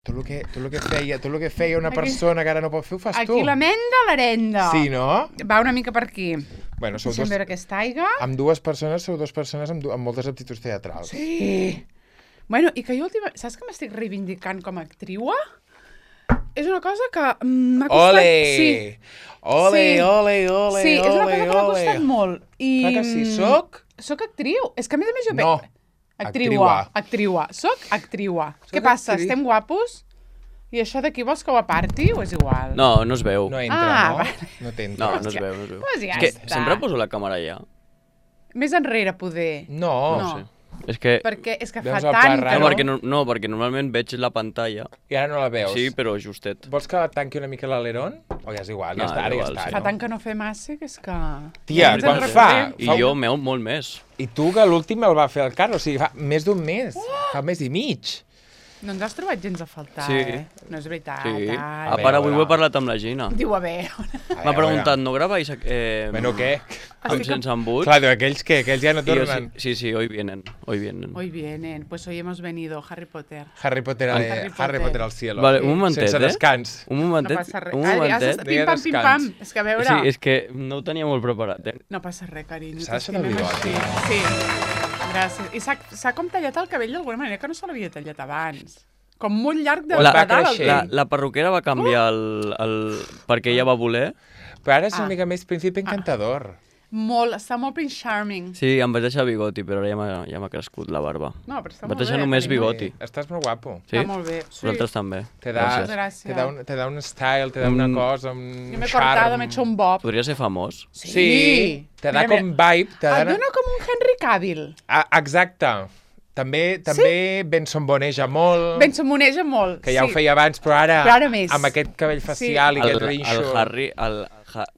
Tot el que feia una persona que ara no pot fer, ho fas tu. Aquí l'amenda, l'herenda. Sí, no? Va una mica per aquí. Bueno, Deixa'm veure aquesta aigua. Amb dues persones, sou dues persones amb moltes aptituds teatrals. Sí. Bueno, i que jo saps que m'estic reivindicant com a actriua? És una cosa que m'ha costat... Ole! Sí. Ole, Sí. ole, ole, Sí, és una cosa que m'ha ole. costat molt. I... Clar que sí, soc? Soc actriu. És que a més jo... No. Actriua. Soc actriua. Què passa? actriu. Estem guapos? I això d'aquí vols que ho aparti o és igual? No, no es veu. No entra, Ah, no? vale. No t'entra. No, no es veu, no es veu. Pues ja És que està. sempre poso la càmera allà. Més enrere, poder. No. No. No sé. És que... Perquè és que fa Veus el tant pla que raro? perquè normalment veig la pantalla. I ara no la veus. Sí, però justet. Vols que la tanqui una mica l'aleron? O ja és igual, ja No, està, ara ja igual, està. sí. Fa no? tant que no fem massa que és que... Tia, ens quan en fa? recordem. I jo meu molt més. I tu que l'últim el va fer el Carlos, o sigui, fa més d'un mes. Fa un mes i mig. No ens has trobat gens a faltar, Sí. No és veritat. Sí. Ai. A part, avui ho he parlat amb la Gina. Diu, a veure... M'ha preguntat, no graváis Bueno, què? amb sense embut? Clar, aquells ja no I jo, tornen. sí, hoy vienen. Hoy vienen, pues hoy hemos venido, Harry Potter. Harry Potter al cielo. Vale, un momentet, Sense descans. Un No momentet. passa res. Un Ara ja momentet. s'està pim-pam, pim-pam. És que a veure... Sí, és que no ho tenia molt preparat, eh? No passa res, carinyo. S'ha deixat el t'estimem bigoti. així. Sí, gràcies. I s'ha com tallat el cabell d'alguna manera que no se l'havia tallat abans. Com molt llarg de La- de dalt. creixent. La perruquera va canviar perquè ella va voler. Però ara és una Ah. mica més príncipe encantador. Molt, està molt Prince Charming. Sí, em vaig deixar bigoti, però ara ja m'ha crescut la barba. No, però està Vaig molt deixar bé, només carinyo. bigoti. Estàs molt guapo. Sí? Està molt bé. Sí. Vosaltres també. Te da, Gràcies. Gràcies. te da un style, te da una cosa, un Jo m'he charm. cortat, m'he hecho un bob. Podria ser famós. Sí, te da Mira, com vibe. Te Et da... dona com un Henry Cavill. Exacte. També Benson boneja molt, Ben s'amoneja molt. que ja sí. ho feia abans, però ara, Però ara més. amb aquest cabell facial i aquest rinxo... Harry...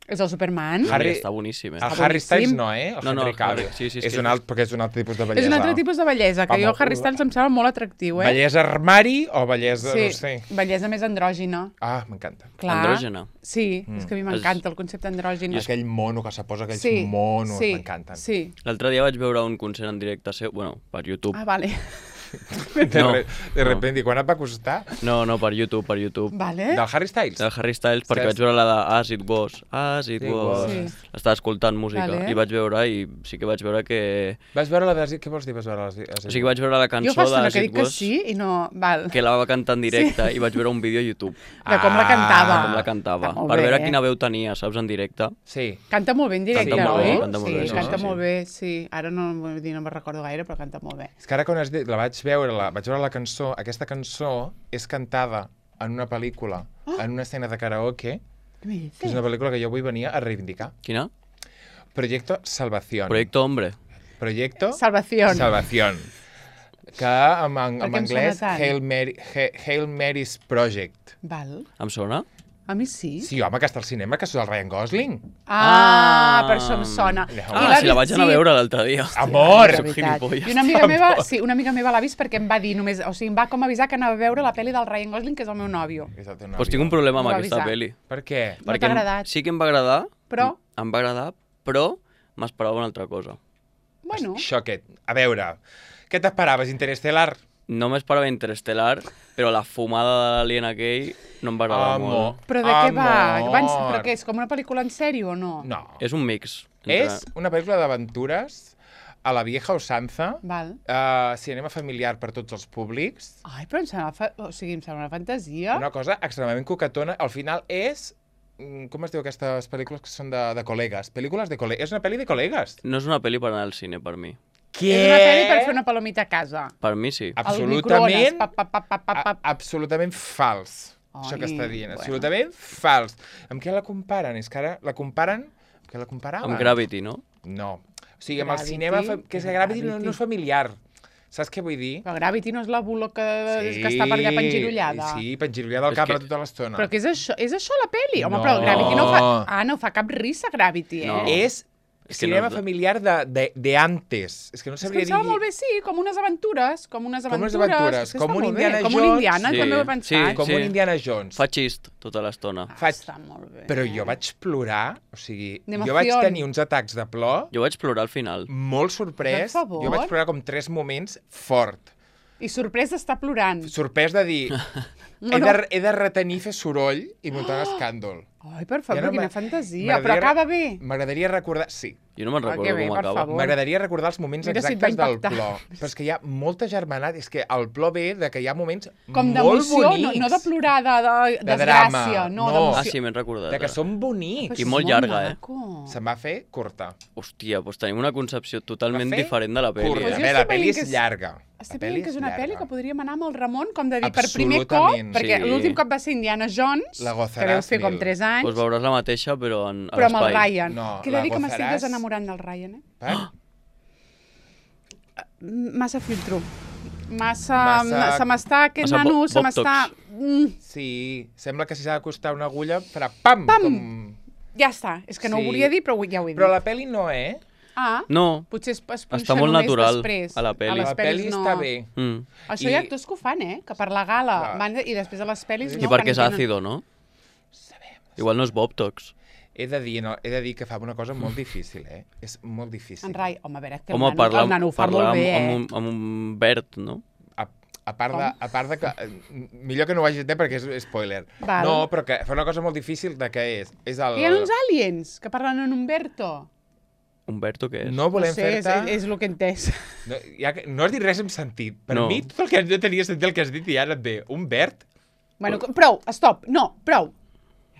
És el Superman. Harry- Està boníssim, eh? El Està Harry Styles boníssim. no, eh? El No, Henry Cavill. Harry, sí, És un alt, perquè és un altre tipus de És bellesa. un altre tipus de bellesa, que Va, jo molt- Harry Styles em sembla molt atractiu, eh? Bellesa armari o bellesa, Sí, no sé. bellesa més andrògina. Ah, m'encanta. Clar. Andrògena. Sí, és que a mi m'encanta el concepte andrògin. Aquell mono que se posa, aquells Sí, monos, sí, m'encanten. Sí. L'altre dia vaig veure un concert en directe seu, bueno, per YouTube. Ah, vale. De repente, i quan et va costar? No, per YouTube. Vale. Del Harry Styles? Del Harry Styles, perquè vaig veure la de As It Was. As It Was. Sí. Estava escoltant música Vale. i vaig veure, i sí que vaig veure que... Vas veure la de... Què vols dir, vas veure la de... O sigui, vaig veure la Jo cançó fa estona d'As que It dic que Was, sí i no... Val. que la va cantar en directe, i vaig veure un vídeo a YouTube De com la cantava. com la cantava, Està molt per bé, veure eh? quina veu tenia, saps, en directe. Sí. Canta molt bé en directe, Canta molt bé, oi? canta molt bé, Sí, no? canta Sí, molt sí. bé, sí. Ara no, vull dir, no me'n recordo gaire, però canta molt bé. És que ara quan has dit, vaig veure la cançó, aquesta cançó és cantada en una pel·lícula, en una escena de karaoke, Què me que és dices? una pel·lícula que jo avui venia a reivindicar. Quina? Proyecto Salvación. Proyecto Hombre. Proyecto Salvación. Salvación. Que en Per què em anglès, sona tant? Hail Mary's Project. Val. Em sona? A mi sí. Sí, home, que està al cinema, que és el Ryan Gosling. Per això em sona. No. I Si la vaig anar a veure l'altre dia. Amor! De Soc veritat. gilipolles. I una amiga meva, sí, una amiga meva l'ha vist perquè em va dir només, o sigui, em va com avisar que anava a veure la pel·li del Ryan Gosling, que és el meu nòvio. És el teu nòvio. Doncs tinc un problema amb M'ho va aquesta avisar. pel·li. Per què? No t'ha agradat? Sí que em va agradar, Però, em va agradar, però m'esperava una altra cosa. bueno, Xoquet. A veure, què t'esperaves, Interestelar? No m'esperava Interestelar, però la fumada de l'alien aquell no em va agradar molt. però de què va? Amor. Però què, és com una pel·lícula en sèrio o no? No. És un mix. És una pel·lícula d'aventures a la vieja usanza, Val. cinema familiar per tots els públics, Ai, però em sembla, o sigui, em sembla una fantasia. una cosa extremadament coquetona. Al final és... Com es diu aquestes pel·lícules que són de col·legues? Pel·lícules de col·legues. És una pel·li de col·legues. No és una pel·li per anar al cine, per mi. Què? És una pel·li per fer una palomita a casa. Per mi sí. Al microones, pap, pap, pap, pap, pap, pap. Absolutament fals, això que Ai, està dient. bueno. Absolutament fals. Amb què la comparen? És que ara la comparen... Amb què la comparaven? Amb Gravity, no? No. O sigui, amb el Gravity, cinema... Que és que Gravity no Gravity. és familiar. Saps què vull dir? Però Gravity no és la bula que està per allà pengirollada. Sí, pengirollada al És cap que- tota l'estona. Però què és això la peli? Home, No. però Gravity no fa... Ah, no fa cap risa, Gravity, eh? No. És És que cinema no- familiar de antes. És que no És que sabria em dir... sembla molt bé, sí, com unes aventures. Com unes aventures, És que com està un molt bé, Indiana com un Jones. Indiana, Sí, també ho he pensat. sí. Com un Indiana Jones. Fa xist tota l'estona. Està molt bé. Però jo vaig plorar, o sigui, D'emoció. jo vaig tenir uns atacs de plor Jo vaig plorar al final. molt sorprès. Per favor. Jo vaig plorar com 3 moments fort. I sorprès d'estar plorant. Sorprès de dir, he de retenir, fer soroll i muntar un escàndol. Ai, per favor, Ja no quina m'a- fantasia. Però acaba bé. M'agradaria recordar... Sí. Jo no me'n Ah, que recordo bé, com per acaba. favor. M'agradaria recordar els moments Mira si et exactes va del impactar. plor. Però és que hi ha molta germanat. És que el plor ve de que hi ha moments Com molt d'emoció, bonics. no de plorar, de De desgràcia. drama, No, no. d'emoció. Ah, sí, m'he recordat. De que ara. són bonics. Però I és molt llarga, maco. Se'm va fer curta. Hòstia, doncs tenim una concepció totalment Va fer diferent de la pel·li. Curta. Pues A jo veure, estic la pel·li veient que és és- llarga. Estic La veient que és una llarga. pel·li que podríem anar amb el Ramon, com de dir, per primer cop, Absolutament. perquè Sí. l'últim cop va ser Indiana Jones, La que gozaràs deu fer com mil. 3 anys, Doncs veuràs la mateixa, però a però amb el l'espai. Ryan. No, que he de la dir que m'estic gozaràs. desenamorant del Ryan, eh? Per? Massa filtro. Massa... Massa- Se m'està... Aquest massa nano se botox. m'està... Sí, sembla que si s'ha d'acostar una agulla farà pam! Pam! Com... Ja està. És que no ho Sí. volia dir, però ja ho he dit. Però la pel·li no, Ah, No, potser es punxa Està molt només natural després. a la pel·li. les La pel·li pel·lis no. està bé. Això hi ha I- actors que ho fan, que per la gala Clar. van i després a les pel·lis I no. I perquè que és no tenen- àcido, no? Igual no és Bobtox. He de dir que fa una cosa molt difícil, És molt difícil. En Rai, home, a veure, que Home, el nano ho fa molt bé, amb un verd, no? A part de que... Millor que no ho hagi dit perquè és spoiler. Val. No, però que fa una cosa molt difícil de què és. És el... Que hi ha uns aliens que parlen en Humberto. Humberto què és? No volem no sé, fer-te... és el que he entès. No has dit res amb sentit. Per No. mi, tot el que no tenia sentit el que has dit i ara et ve. Un verd? Bueno, prou, stop, no, prou.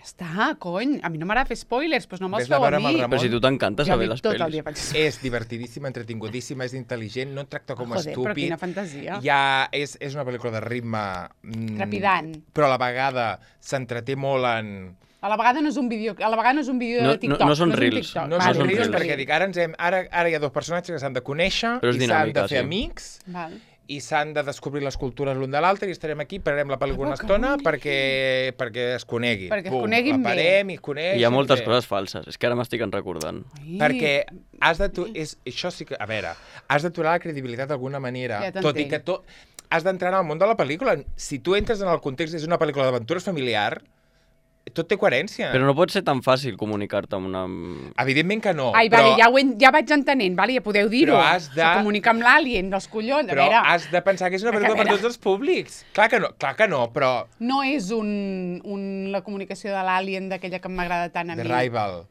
Ja està, cony, a mi no m'agrada fer spoilers, doncs no me'ls Vés a feu a veure amb el mi. Ramon. Però si tu t'encanta Jo saber dic les tot el pel·lis. dia faig És divertidíssima, entretingudíssima, és intel·ligent, no et tracta com a Joder, però estúpid. quina fantasia. És una pel·lícula de ritme... Trepidant. Però a la vegada s'entreté molt en... A la vegada no és un vídeo, No- de TikTok. no són és un reels. TikTok. No Vale, són reels, reels perquè dic, ara hi ha dos personatges que s'han de conèixer Però és i s'han de dinàmica, fer sí. amics Val. i s'han de descobrir les cultures l'un de l'altre i estarem aquí, pararem la pel·lícula una que estona bonic. perquè es coneguin. Perquè es coneguin la bé. parem i es coneixen. I hi ha moltes bé. coses falses. És que ara m'estic recordant. Ai. Perquè has de... Això sí que... A veure, has d'aturar la credibilitat d'alguna manera. Ja tot i t'entenc. que has d'entrar en el món de la pel·lícula. Si tu entres en el context, és una pel·lícula d'aventures familiar, tot té coherència. Però no pot ser tan fàcil comunicar-te amb una... Evidentment que no. Ai, però, vale, ja vaig entenent, vale, ja podeu dir-ho. Però has de- Se comunica amb l'alien, dels collons. A però veure, has de pensar que és una A pel·lícula per veure. tots els públics. Clar que no, però... no és la comunicació de l'alien d'aquella que m'agrada tant a mi. The Rival.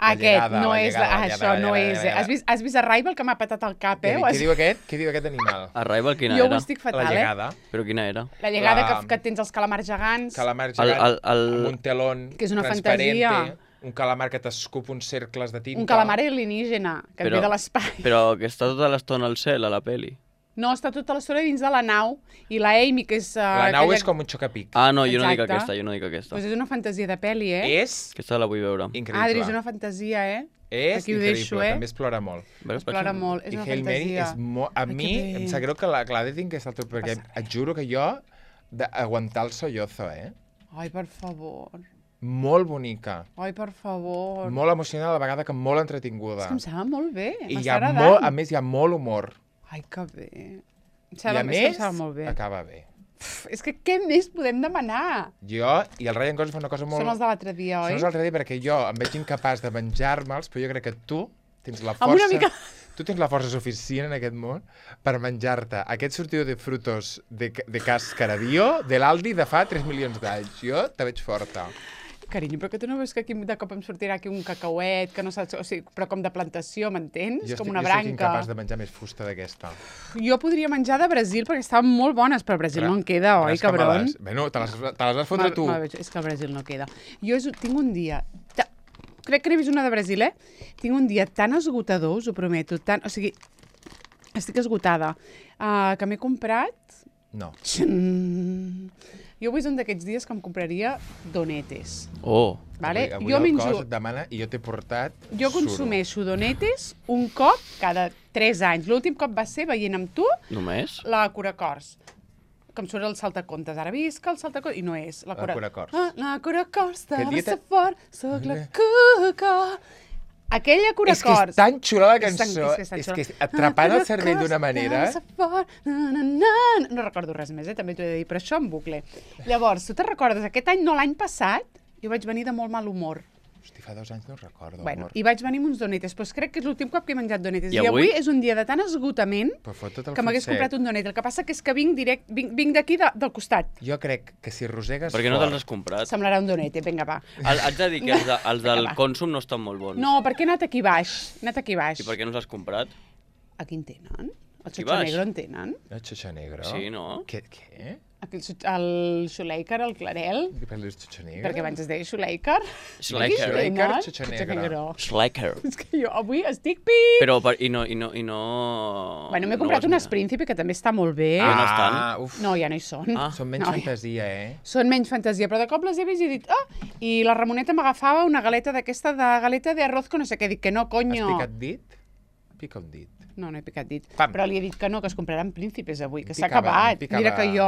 Aquest, llegada, no la és... llegada, la això llegada, no la és... llegada. Has vist Arrival, que m'ha patat el cap, Què diu aquest? Què diu aquest animal? Arrival quina Jo ho era? estic La fatal, llegada. Però quina era? La llegada La- que tens els calamars gegants. Calamar gegant amb un telón Que és una transparente, fantasia. un calamar que t'escup uns cercles de tinta. Un calamar alienígena, que et ve de l'espai. Però que està tota l'estona al cel, a la peli. No, està tota l'estona dins de la nau, i la Amy, que és... La nau és com un xocapic. Ah, no, jo no dic Exacte. aquesta, jo no dic aquesta. Doncs és una fantasia de pel·li, És Aquesta la vull veure. increïble. Adri, és una fantasia, És Aquí ho increïble, deixo, també es plora molt. Veus, Es plora potser? molt, és I una Hail Mary fantasia. és molt... A Ai, mi que bé. em sap greu que la Clara tinc que és el teu... Perquè et juro que jo d'aguantar el sollozo, Ai, per favor. Molt bonica. Ai, per favor. Molt emocional, a la vegada que molt És entretinguda. que em sembla molt bé. I hi M'està ha agradant. a més, hi ha molt humor. Ai, que bé. Em I sembla, a és que em més, sembla molt bé. acaba bé. És que què més podem demanar? Jo i el Ryan Gosling fa una cosa molt... Són els de l'altre dia, oi? Són els altre dia perquè jo em veig incapaç de menjar-me'ls, però jo crec que tu tens la Amb una força... mica- Tu tens la força suficient en aquest món per menjar-te aquest sortido de frutos de cascaradío de l'Aldi de fa 3 milions d'anys. Jo te veig forta. Carinyo, però que tu no veus que aquí de cop em sortirà aquí un cacauet, que no saps... O sigui, però com de plantació, m'entens? Com una jo estic branca. incapaç de menjar més fusta d'aquesta. Jo podria menjar de Brasil perquè estaven molt bones, però al Brasil no en queda, oi, cabron? Bueno, te les vas fotre tu. És que al Brasil no queda. Jo tinc un dia... Crec que n'he vist una de Brasil, Tinc un dia tan esgotador, us ho prometo, o sigui, estic esgotada, que m'he comprat... No. Jo avui és un d'aquests dies que em compraria donetes. Oh, Vale? Avui Jo el menjo... cos et demana i jo t'he portat Jo consumeixo donetes un cop cada 3 anys. L'últim cop va ser veient amb tu només? la Curacors. Que em surt el saltacontes. Ara visc el saltacontes. I no és. La Curacors. La Curacors de Que dia te- fort, soc la Cuca. Aquella És Curacors. que és tan xula la És tan- cançó, és tan és xula. que atrapant el cervell d'una manera... No recordo res més, també t'ho he de dir, però això en bucle. Llavors, tu te'n recordes, aquest any, no l'any passat, jo vaig venir de molt mal humor. Hosti, fa 2 anys no ho recordo, Bueno, amor. i vaig venir amb uns donetes, doncs crec que és l'últim cop que he menjat donetes. I I avui? avui és un dia de tant esgotament Però fot tot el que m'hagués fruit comprat sec. un donet. El que passa que és que vinc d'aquí, del costat. Jo crec que si rosegues Per què no fort... te'ls has comprat? Semblarà un donete, vinga, va. Haig de dir que els del va. Consum no estan molt bons. No, perquè he anat aquí baix. He anat aquí baix. I per què no els has comprat? Aquí en tenen? El Aquí Xocho baix. Negro en tenen? El xoxa negro? Sí, no? Què? Aquí el Xuleiker, el Clarel. Què parles xoxa negro? Perquè abans es deia Xuleiker. Slacker. Xuleiker, Xocho Negro. Slacker. És que jo avui estic pip. Però, i no... Bueno, m'he comprat no unes Príncipe, que també està molt bé. Ah, no estan? Uf. No, ja no hi són. Ah. Són menys No, fantasia, Són menys fantasia, però de cop les he vist i he dit, i la Ramoneta m'agafava una galeta d'aquesta de galeta de arroz con no sé què. Dic que no, Has coño. picat dit? Pica un dit. No, no he picat dit. Pam. Però li he dit que no, que es compraran príncipes avui, que s'ha Picava, acabat. picava. Mira que jo,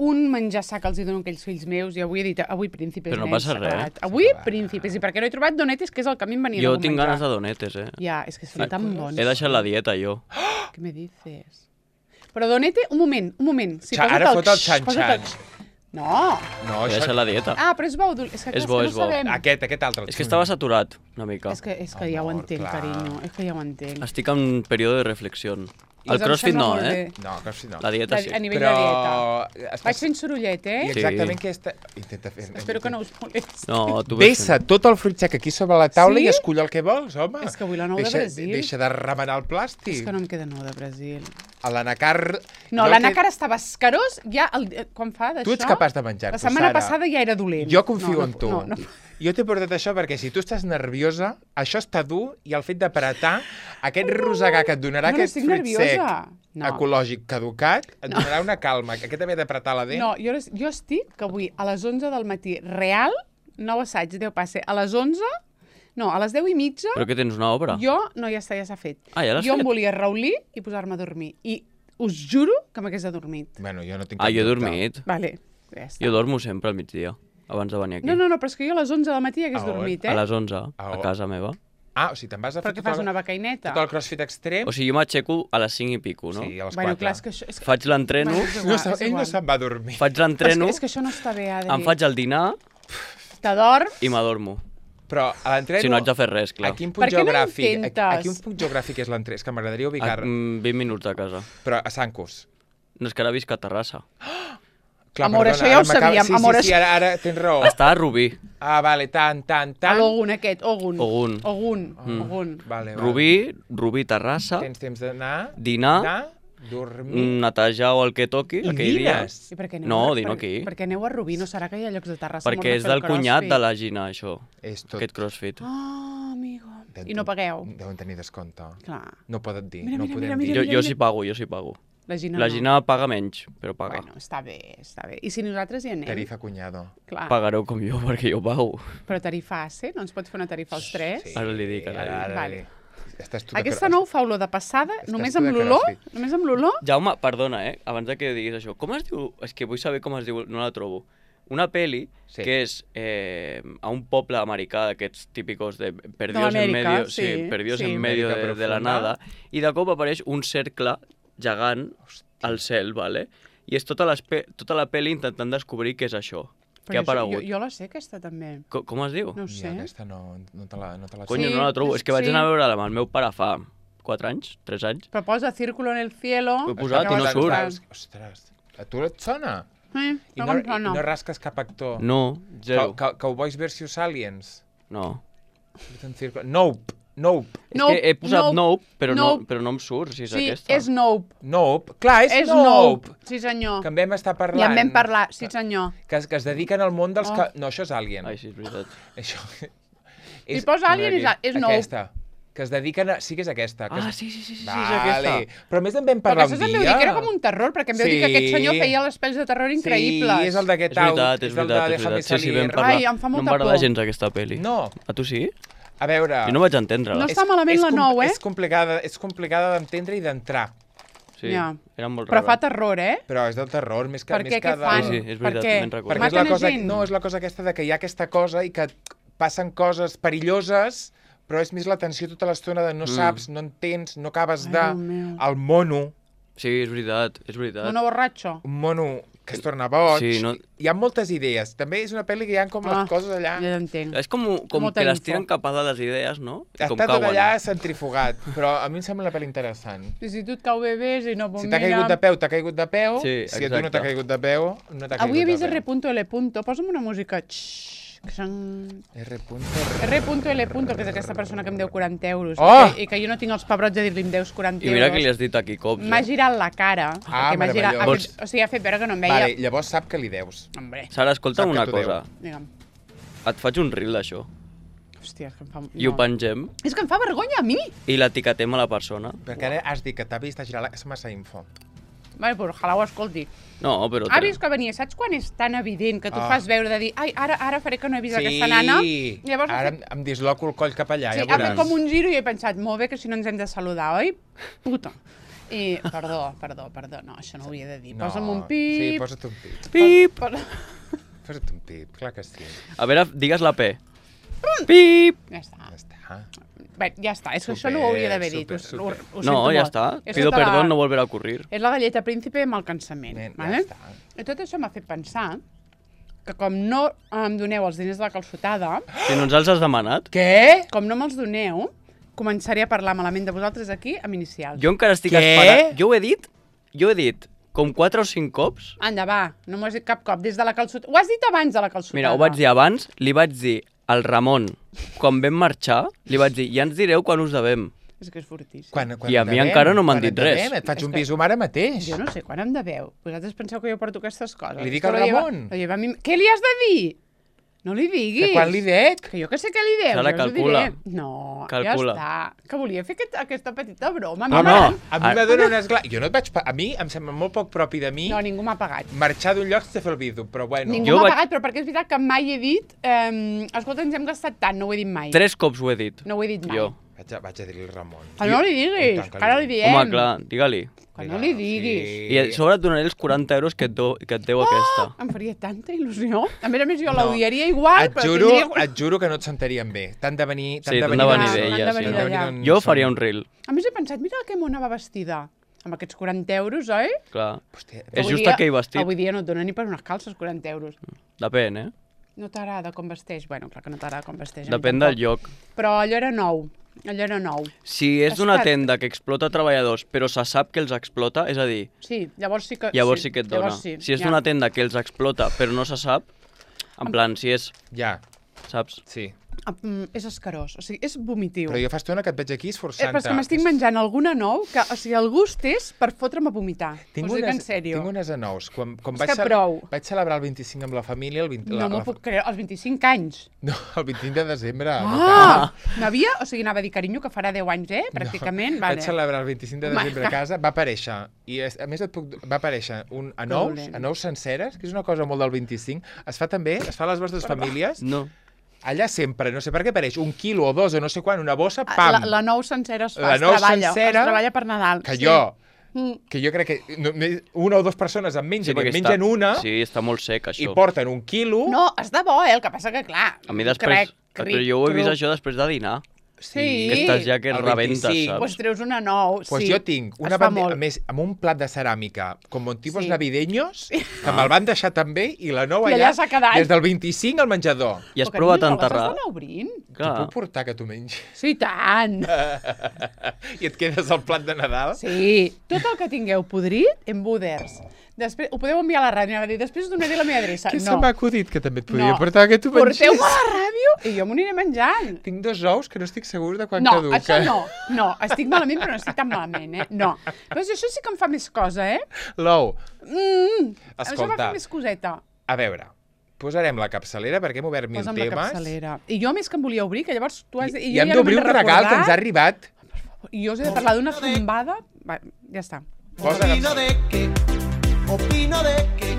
un menjar sac els hi dono a aquells fills meus i avui he dit, avui príncipes, Però no nens, passa s'ha res. acabat. Avui S'ha acabat. príncipes, i perquè no he trobat donetes, que és el que a mi em venia Jo de tinc menjar. ganes de donetes, Ja, és que són tan bons. He deixat la dieta, jo. Què me dices? Però donete, un moment. Sí, Ara fot el xan-xan. posa't No. No, He això... deixat la dieta. Ah, però és bo, és que, És bo, no és bo. sabem. Aquest altre. És que estava saturat, una mica. És que ja ho Amor, entenc, clar. carinyo. És que ja ho entenc. Estic en període de reflexió. El Doncs em crossfit sembla no, molt eh? bé. No, que sí, no. La dieta sí. A nivell de dieta. Estàs... Vaig fent sorollet, I eh? exactament què està... Intenta fer... Espero que no us molesti. No, tu ves Vessa tot el fruit sec aquí sobre la taula Sí? i escull el que vols, home. És que vull la nou de Brasil. Deixa de remenar el plàstic. És que no em queda nou de Brasil. A l'anacar... No, jo l'anacar que- estava escarós ja quan fa d'això. Tu ets capaç de menjar-t'ho, La setmana Sara. passada ja era dolent. Jo confio en tu. No. Jo t'he portat això perquè si tu estàs nerviosa, això està dur i el fet d'apretar aquest rosegar que et donarà No, no aquest estic fruit nerviosa. sec No. ecològic caducat, et donarà una calma. Aquest també d'apretar la dent. No, jo estic que avui a les 11 del matí, real, nou assaig, Déu passe, a les 11, no, a les 10 i mitja, Però que tens una obra? jo, no, ja s'ha fet. Ah, ja l'has Jo fet? em volia raulir i posar-me a dormir. I us juro que m'hagués adormit. Bueno, jo no tinc Ah, cap jo he dubte. dormit. Vale, ja està. Jo dormo sempre al migdia, abans de venir aquí. No, però és que jo a les 11 del matí hagués A on? dormit, A eh? les 11, A a on? casa meva. Ah, o sigui, te'n vas a Però fer que fas una becaineta. tot el crossfit extrem? O sigui, jo m'aixeco a les 5 i pico, no? Sí, a les 4. Bueno, clar, és que això... És que... Faig l'entreno, Bueno, és No, igual, és ell no igual. se'n va a dormir. faig Però l'entreno, és que això no està bé, Adri. em faig el dinar T'adorms? i m'adormo. Però a l'entreno... Si no haig de fer res, clar. A quin Per punt què no geogràfic? intentes? A quin punt geogràfic és l'entreno? És que m'agradaria ubicar... 20 minuts de casa. Però a Sancus. No és que ara visc a Terrassa. Clar, Amor, perdona, això ja ho ara m'acaba- sabíem, Sí, amor, sí, sí, ara tens raó. Està a Rubí. Ah, vale, tant. A l'Ogun aquest, Ogun. Ogun. Ogun. Vale. Rubí, Terrassa, Tens temps d'anar, dinar, dormir... netejar o el que toqui I aquell dia. dines? I per què aneu No, a- dino per- aquí. Perquè aneu a Rubí, no serà que hi ha llocs de Terrassa Perquè molt és de fer del el cunyat crossfit? de la Gina, això. És tot... Aquest crossfit. Ah, amigo. I no pagueu? Deuen tenir descompte. Clar. No poden dir, Mira, no mira, podem mira, dir. Jo sí pago, jo sí pago. La Gina La no. Gina paga menys, però paga. Bueno, està bé, està bé. I si nosaltres hi anem? Tarifa cunyado. Clar. Pagareu com jo, perquè jo pago. Però tarifa AC, no ens pots fer una tarifa als tres? Sí. Ara li dic, ara li dic. Vale. Estàs tu de Aquesta cro- nou fa olor de passada, Estàs només tu amb de l'olor? crossfit. Només amb l'olor? Jaume, perdona, abans de que diguis això. Com es diu? És que vull saber com es diu, no la trobo. Una peli Sí. que és a un poble americà d'aquests típicos de perdidos en Amèrica, medio, sí, perdidos sí. en medio Amèrica de la profunda. nada, i de cop apareix un cercle gegant al cel, ¿vale? I és tota la peli intentant descobrir què és això, què ha aparegut. Jo la sé, aquesta també. Com es diu? No ho I sé. aquesta no te la Coño, Sí, no la trobo. És que vaig sí. anar a veure-la amb el meu pare fa 4 anys, 3 anys. Però posa Círculo en el cielo. Ho he posat i no acabes surt. posant. Ostres, a tu et sona? I I no rasques cap actor? No, zero. Cowboys versus Aliens? No. Nope. És que he posat Nope, però Nope. no em surt si és Sí, aquesta. és Nope. Nope. Clar, és És Nope. Nope. Sí, senyor. Que en vam estar parlant. Ja en vam parlar, sí, senyor. Que es dediquen al món dels... Oh. No, això és Alien. Ai, sí, és veritat. Això... Si posa Alien mira és Nope. Aquesta. Que es dediquen a... Sí que és aquesta. Que Ah, es... sí, és Vale. aquesta. Però a més en vam Però parlar això un em dia. veu dir que era com un terror, perquè em veu dir que aquest Sí. senyor feia les pel·lis de terror increïbles. Sí, és el d'aquest És veritat, és és el de veritat, és Déjame veritat. Sí, salir. vam parlar. Ai, em fa no em molta va agradar por. gens aquesta pel·li. No, A tu sí? a veure... Jo no vaig entendre-la. No està malament la nou, eh? És complicada d'entendre i d'entrar. Sí, Ja. era molt Però rara. fa terror, eh? Però és del terror, més que... Per més què? que Què de- fan? Sí, és veritat, Per què? me'n recordo. Perquè és la Maten a cosa... gent? No, és la cosa aquesta de que hi ha aquesta cosa i que passen coses perilloses, però és més la tensió tota l'estona de no saps, no entens, no acabes Ai, de... Déu meu. El mono, Sí, és veritat, és veritat. Mono borratxo. un mono que es torna boig. Sí, no- Hi ha moltes idees. També és una pel·li que hi ha com les coses allà. Ja t'entenc. És com Molta que les info. tiren cap a dalt les idees, no? I com Està tot cauen. allà centrifugat, però a mi em sembla una pel·li interessant. I si tu et cau bé, ves i no, pues Si t'ha caigut de peu, t'ha caigut de peu. Sí, Si a tu no exacte. t'ha caigut de peu, no t'ha caigut Avui he vist de peu. R.L. Posa'm una música. R.L. que és aquesta persona que em deu 40 euros. Oh! I que jo no tinc els pebrots de dir-li em deus 40 I mira euros. que li has dit aquí cops, M'ha girat la cara. Ah, perquè m'ha girat, meravellós. o sigui, ha fet veure que no em veia. Vale, llavors sap que li deus. Hombre, Sara, escolta'm Sap que una t'ho cosa. digue'm. Et faig un reel d'això. Hòstia, és que em fa... I ho pengem És que em fa vergonya a mi. i l'etiquetem a la persona. Perquè ara has dit que t'ha vist a girar la... És massa info. Vale, però ojalà ho escolti. No, però... Ha vist que venia, saps quan és tan evident que tu Ah. fas veure de dir ai, ara faré que no he vist aquesta nana? Llavors ha ara fet, em disloco el coll cap allà, sí, ja ha fet veuràs. com un giro i he pensat, molt bé, que si no ens hem de saludar, oi? Puta. I, perdó, no, això no ho hauria de dir. Posa'm un pip. Sí, posa't un pip. Pip! Posa't un pip, clar que sí. A veure, digues la P. Pip! Ja està. Ja està. Bé, ja està, és que Super, això no ho hauria d'haver dit. super. Ho No, sento ja molt. està. És Pido tota la- perdón, no volverá a ocurrir. És la galleta príncipe amb el cansament. Nen, ja Vale? està. I tot això m'ha fet pensar que com no em doneu els diners de la calçotada, Si no ens els has demanat. Què? com no me'ls doneu, començaré a parlar malament de vosaltres aquí amb inicials. Jo encara estic Què? esperant... Jo ho he dit com 4 o 5 cops. Anda, va, no m'ho has dit cap cop. Des de la calçotada... Ho has dit abans de la calçotada. Mira, ho vaig dir abans, li vaig dir al Ramon, quan vam marxar, li vaig dir, ja ens direu quan us devem. És que és fortíssim. Quan I a mi encara no m'han dit res. Et faig És un que- bisum ara mateix. Jo no sé quan em deveu. Vosaltres penseu que jo porto aquestes coses. Li dic Esto al lo lleva- Ramon. lo lleva a mi... Què li has de dir? No li diguis. Que quan li dec? Que jo que sé què li deus. Sara, jo us ho calcula. diré. No, Calcula. ja està. Que volia fer aquesta petita broma. No, Mama. no. A mi m'adona una esgla... Jo no et vaig... A mi em sembla molt poc propi de mi No, ningú m'ha pagat. marxar d'un lloc sense fer el bisum, però bueno. Ningú Jo m'ha vaig- pagat, però perquè és veritat que mai he dit escolta, ens hem gastat tant, no ho he dit mai. 3 cops ho he dit. No ho he dit mai. Jo. Vaig a dir-li al Ramon. Que no li I diguis, tant que ara li diem. Home, clar, digue-li. Que no li diguis. I a sobre et donaré els 40 euros que et deu aquesta. Em faria tanta il·lusió. A més, jo l'odiaria igual, Et però juro, tindria... et juro que no et sentarien bé. T'han de venir... Sí, t'han de venir d'allà, d'ella, t'han de sí. venir d'allà. Jo faria un reel, A més, he pensat, mira que mona va vestida. Amb aquests 40 euros, oi? clar. Hòstia, És Avui just dia- aquell vestit. Avui dia no et dona ni per unes calces 40 euros. Depèn, eh? No t'agrada com vesteix? Bueno, clar que no t'agrada com vesteix. a mi Depèn tampoc. del lloc. Però allò era nou. Allò era nou. Si és d'una Estat. tenda que explota treballadors, però se sap que els explota, és a dir, Sí, llavors sí que... llavors sí que et dona. llavors sí, Si és ja. d'una tenda que els explota, però no se sap, en plan, si és, Ja, saps? sí. És escarós, o sigui, és vomitiu. Però jo fa estona que et veig aquí esforçant-te. Però és que m'estic menjant alguna nou que, o sigui, el gust és per fotre'm a vomitar. Tinc Us ho dic en unes, sèrio. tinc unes anous. Quan És vaig, que prou. vaig celebrar el 25 amb la família... El 20, No m'ho puc creure, als 25 anys. No, el 25 de desembre. no Ah! N'havia, o sigui, anava a dir, carinyo, que farà 10 anys, pràcticament. Vaig Vale. celebrar el 25 de Home, desembre a casa, va aparèixer, i a més va aparèixer dolent. anous senceres, que és una cosa molt del 25, es fa també, es fa a les vostres famílies, No. allà sempre, no sé per què apareix, 1 quilo o 2 o no sé quan, una bossa, La pam! nou sencera es fa, La es nou treballa, sencera, es treballa per Nadal. Que sí. jo, Mm. que jo crec que una o dues persones en mengen, i perquè en mengen una, Sí, està molt sec, i això. porten 1 quilo... No, és de bo, el que passa que, clar... A mi després... Però jo ho he vist això després de dinar. Sí. Que estàs ja que el rebentes, 25. saps? Pues treus una nou, Pues sí. jo tinc una Es fa bandeja, molt. a més, amb un plat de ceràmica, com un tipus Sí. navideños, que me'l van deixar també, i la nou I allà, allà s'ha quedat. des del 25 al menjador. I has Però, provat carinyo, a enterrar? les has d'anar obrint? T'ho Clar. puc portar que tu mengis? Sí, tant. I et quedes el plat de Nadal? Sí, tot el que tingueu podrit, embuders. Després, ho podeu enviar a la ràdio, anava a dir, després us donaré la meva adreça. Què no. se m'ha acudit que també et podria No. portar que tu mengis? Porteu-me a la ràdio i jo m'ho aniré menjant. Tinc 2 ous que no estic segur de quan No, caduca. això no. No, estic malament, però no estic tan malament, eh? No. Però això sí que em fa més cosa, eh? L'ou, Això escolta, m'ha fet més coseta. a veure, posarem la capçalera perquè hem obert 1000 Posa'm la temes. capçalera. I jo, a més que em volia obrir, que llavors tu has... I jo hem ja no d'obrir me'n un he regal que ens ha recordat. arribat. I jo us he de parlar d'una tombada... Va, ja està. Posa Opino de que, opino de que,